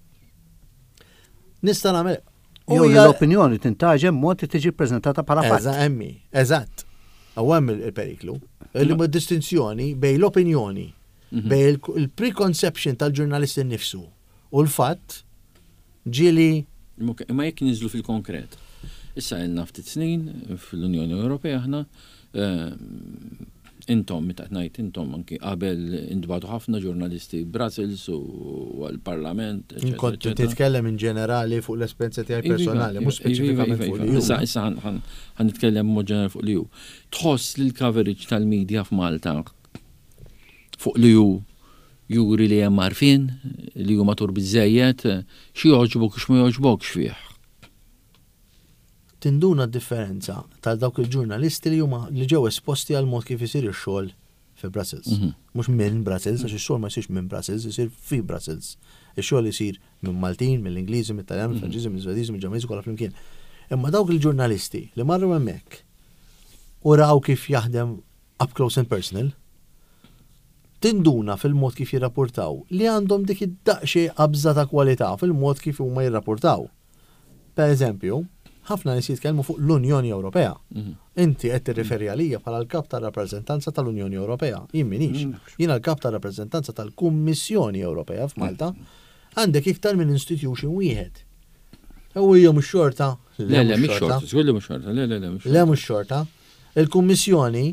nista' nagħmel. U Jew li hija- l-opinjoni tintgħaġen mod li tiġi ppreżentata bħala fatt. Eżatt, emmi, eżatt. U hemm il-periklu. Li ma distinzjoni bejn l-opinjoni, bejn il- il-preconception tal-ġurnalist innifsu u l-fatt ġieli Imma- Imma jekk niżlu fil-konkret. Issa ilna ftit snin fl-Unjoni Ewropea aħna eh, intom, meta qed ngħid intom anki qabel intbagħtu ħafna ġurnalisti Brussels u għal-Parlament. eċetera, kont eċetera. titkellem in ġenerali fuq l-esperjenza tiegħi Iva, personali, iva, mhux speċifikament iva, fuq iva, li Issa, issa ħan- ħan ħan nitkellem mod ġenerali fuq li hu. Tħoss li l-coverage tal-medja f'Malta fuq li hu juri li hemm għarfien, li hu matur biżejjed, xi jogħġbok u x'ma jogħġbokx fih. Tinduna d-differenza tal dawk il-ġurnalisti li huma li ġew esposti għal mod kif isir ix-xogħol fi Brussels. Mhux minn Brussels, għax ix-xogħol ma jsirx minn Brussels, isir fi Brussels. Ix-xogħol isir minn Maltin, mill-Ingliżi, mill-Taljan, mill-Franċiżi, mill-Svediżi, mill-Ġermaniżi kollha flimkien. Imma dawk il-ġurnalisti li marru hemmhekk u raw kif jaħdem up close and personal, tinduna fil-mod kif jirrapportaw li għandhom dik id-daqsxejn qabża ta' kwalità fil-mod kif huma jirrapportaw. Per eżempju, ħafna nies jitkellmu fuq l-Unjoni Ewropea. Inti qed tirriferi għalija bħala l-kap tar-rappreżentanza tal-Unjoni Ewropea. Jien minix. Jiena l-kap tar-rappreżentanza tal-Kummissjoni Ewropea f'Malta. Għandek iktar minn institution wieħed. U hija mhux xorta. Le, le, mhix xorta, żgur li mhux xorta, le, le, le, mhux Le mhux xorta. Il-Kummissjoni,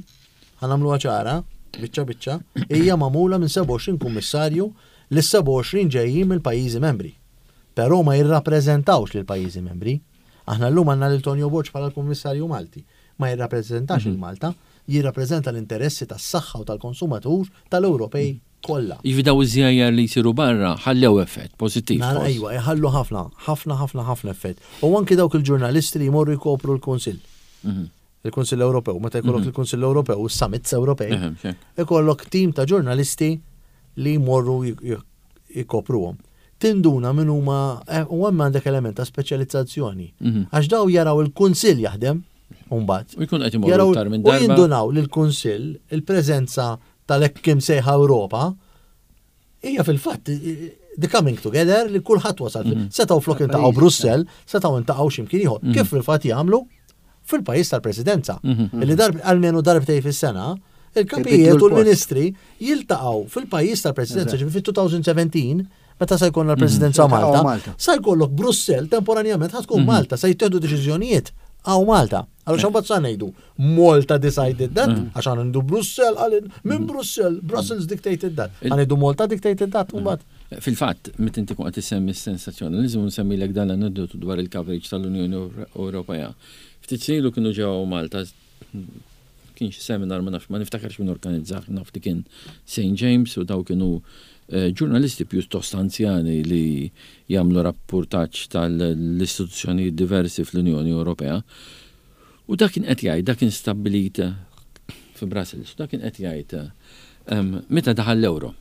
ħa nagħmluha ċara, biċċa biċċa, hija magħmula minn sebgħa u għoxrin kummissarju li sebgħa u għoxrin ġejjin mill-pajjiżi membri. Però ma jirrappreżentawx lil pajjiżi membri. Aħna llum għandna lil Tonio Borg bħala l-Kummissarju Malti. Ma jirrappreżentax il-Malta, jirrappreżenta l-interessi tas-saħħa u tal-konsumatur tal-Ewropej kollha. Jiġifieri daw iż-żjajjar li jsiru barra ħallew effett pożittiv. Nara, forsi. ejwa, jħallu ħafna, ħafna, ħafna, ħafna effett. U anki dawk il-ġurnalisti li jmorru jkopru l-Kunsill. Mhm. Il-Kunsill Ewropew, meta jkollok il-Kunsill Ewropew u s-summits Ewropej, Ehem, xek. ikollok tim ta' ġurnalisti li jmorru jkopruhom. Tinduna minn huma eh, u hemm għandek element ta' speċjalizzazzjoni. Mhm. Għax daw jaraw il-Kunsill jaħdem, mbagħad. U jkun qed imorru Jaraw iktar minn u darba. jindunaw li l-Kunsill, il-preżenza tal-hekk imsejħa Ewropa, hija fil-fatt the coming together li kulħadd wasal. Mhm. Setgħu flok intaqgħu Brussell, setgħu intaqgħu x'imkien ieħor. Kif fil-fatt jagħmlu fil-pajjiż tal-Presidenza. Mhm. Illi darb almenu darbtej fis-sena, il-kapijiet Ibidlu u l-post. l-ministri jiltaqgħu fil-pajjiż tal-Presidenza, ġifieri fit-elfejn u sbatax, meta se jkollna l-Presidenza Jiltaqgħu Malta, Malta. sa jkollok Brussell temporanjament ħa tkun Malta, se jittieħdu deċiżjonijiet għaw Malta. Allora xan sa ngħidu Malta decided that, għax għandu Brussell għal minn Brussell, Brussels dictated that. Għandu Malta dictated that, u mbagħad. Fil-fatt, meta inti kun qed issemmi s-sensazzjonaliżmu nsemmilek dan l-aneddotu dwar il-coverage tal-Unjoni Ewropea. Ftit snin ilu kienu ġew Malta, kien xi seminar, ma nafx, ma niftakarx min organizzah, naf li kien Saint James u daw kienu eh, ġurnalisti pjuttost anzjani li jagħmlu rapportaġġ tal-istituzzjonijiet diversi fl-Unjoni Ewropea. U dak kien qed jgħid, dak kien stabbilit fi Brussels, dak kien qed jgħid em, meta daħal l-euro.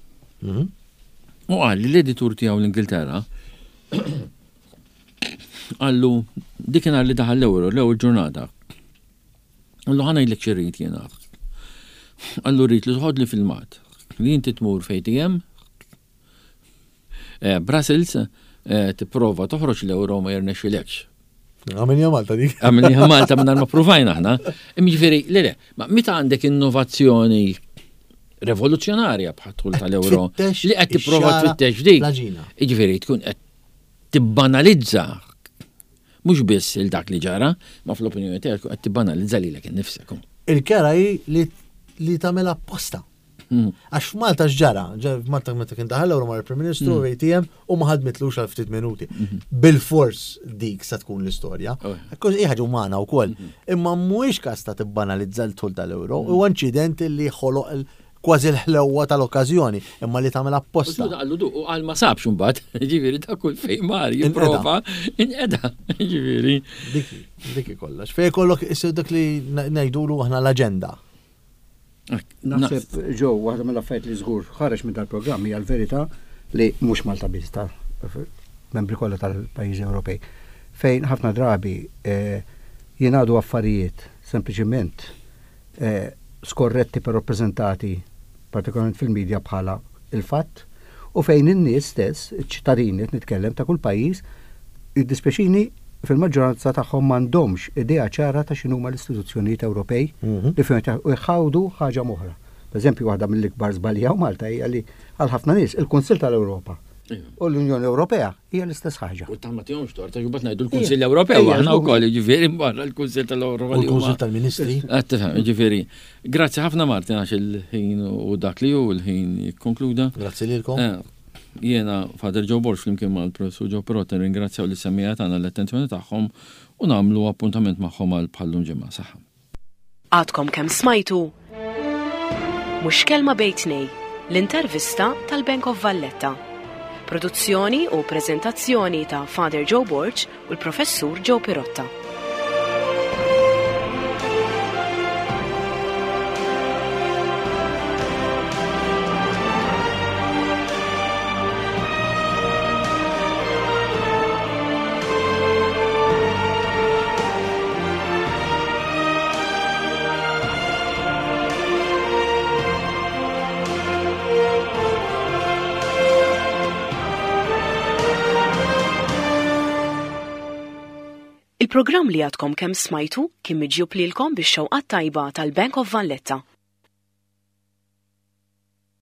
U qal li l-editur tiegħu l-Ingilterra qallu dik kien li daħal l-euro l-ewwel ġurnata. Qallu, "Ħa ngħidlek x'irrid jiena." Qallu, "Rrid li toħodli filmat li inti tmur f'A T M eh, Brussels, eh, tipprova toħroġ l-euro, ma jirnexxilekx." Għamilniha Malta dik. Għamilniha Malta minn ma provajna aħna. Jiġifieri, le, le, ma meta għandek innovazzjoni revoluzzjonarja bħad-dħul tal-euro Tfittex li qed tipprova ix-xagħra tfittex dik. l-għaġina. Jiġifieri tkun qed tibbanalizza mhux biss il dak li ġara, ma fl-opinjoni tiegħek qed tibbanalizza lilek innifsek. Il-kera hi li li tagħmel apposta. Mm. Għax f'Malta x'ġara, ġara f'Malta meta kien daħal l-euro mar il-Prim Ministru A T M u ma ħadmitlux għal ftit minuti. Bil-fors dik sa tkun l-istorja. Oh. Kos hija ħaġa umana wkoll. Imma mhuwiex każ ta' tibbanalizza l-dħul tal-euro, huwa inċident li ħoloq il- kważi l-ħlewwa tal-okkażjoni, imma li tagħmel apposta. Qallu du, u għal ma sabx mbagħad, ġifieri ta' kull fejn mar jipprova inqeda, ġifieri. Diki, diki kollox. Fej kollok issir dak li ngħidulu aħna l-aġenda. Naħseb ġew waħda mill-affarijiet li żgur ħareġ minn dal-programm hija l-verità li mhux Malta biss, ta' membri kollha tal-pajjiżi Ewropej, fejn ħafna drabi eh, jingħadu affarijiet sempliċiment eh, skorretti però rappreżentati partikolarment fil-medja bħala il-fatt u fejn in-nies stess, iċ-ċittadini qed nitkellem ta' kull pajjiż, jiddispjaċini, fil-maġġoranza tagħhom m'għandhomx idea ċara ta' x'inhuma l-istituzzjonijiet Ewropej Mhm. li fejn u jħawdu ħaġa m'oħra. Per eżempju, waħda mill-ikbar żbalji hawn Malta hija li għal ħafna nies il-Kunsill tal-Ewropa u l-Unjoni Ewropea hija l-istess ħaġa. U ta' ma tihomx tort, għax mbagħad ngħidu l-Kunsill Ewropew, Ejja, aħna żgur. wkoll, jiġifieri barra l-Kunsill tal-Ewropa. U li huma- l-Kunsill tal-Ministri. Qed tifhem, jiġifieri. Grazzi ħafna, Martin, għax il-ħin u dak li hu l-ħin jikkonkluda. Grazzi lilkom. Eh, Jiena Father Joe Borg flimkien mal-Professur Joe Pirotta ringrazzjaw lis-semmiegħa tagħna l-attenzjoni tagħhom u nagħmlu appuntament magħhom għal bħallum ġimgħa. Saħħa. Għadkom kemm smajtu Mhux Kelma Bejn Tnejn, l-intervista tal-Bank of Valletta. Produzzjoni u prezentazzjoni ta' Father Joe Borg u l-Professur Joe Pirotta. Il-programm li għadkom kemm smajtu kien miġjub lilkom bix-xewqa tajba tal-Bank of Valletta.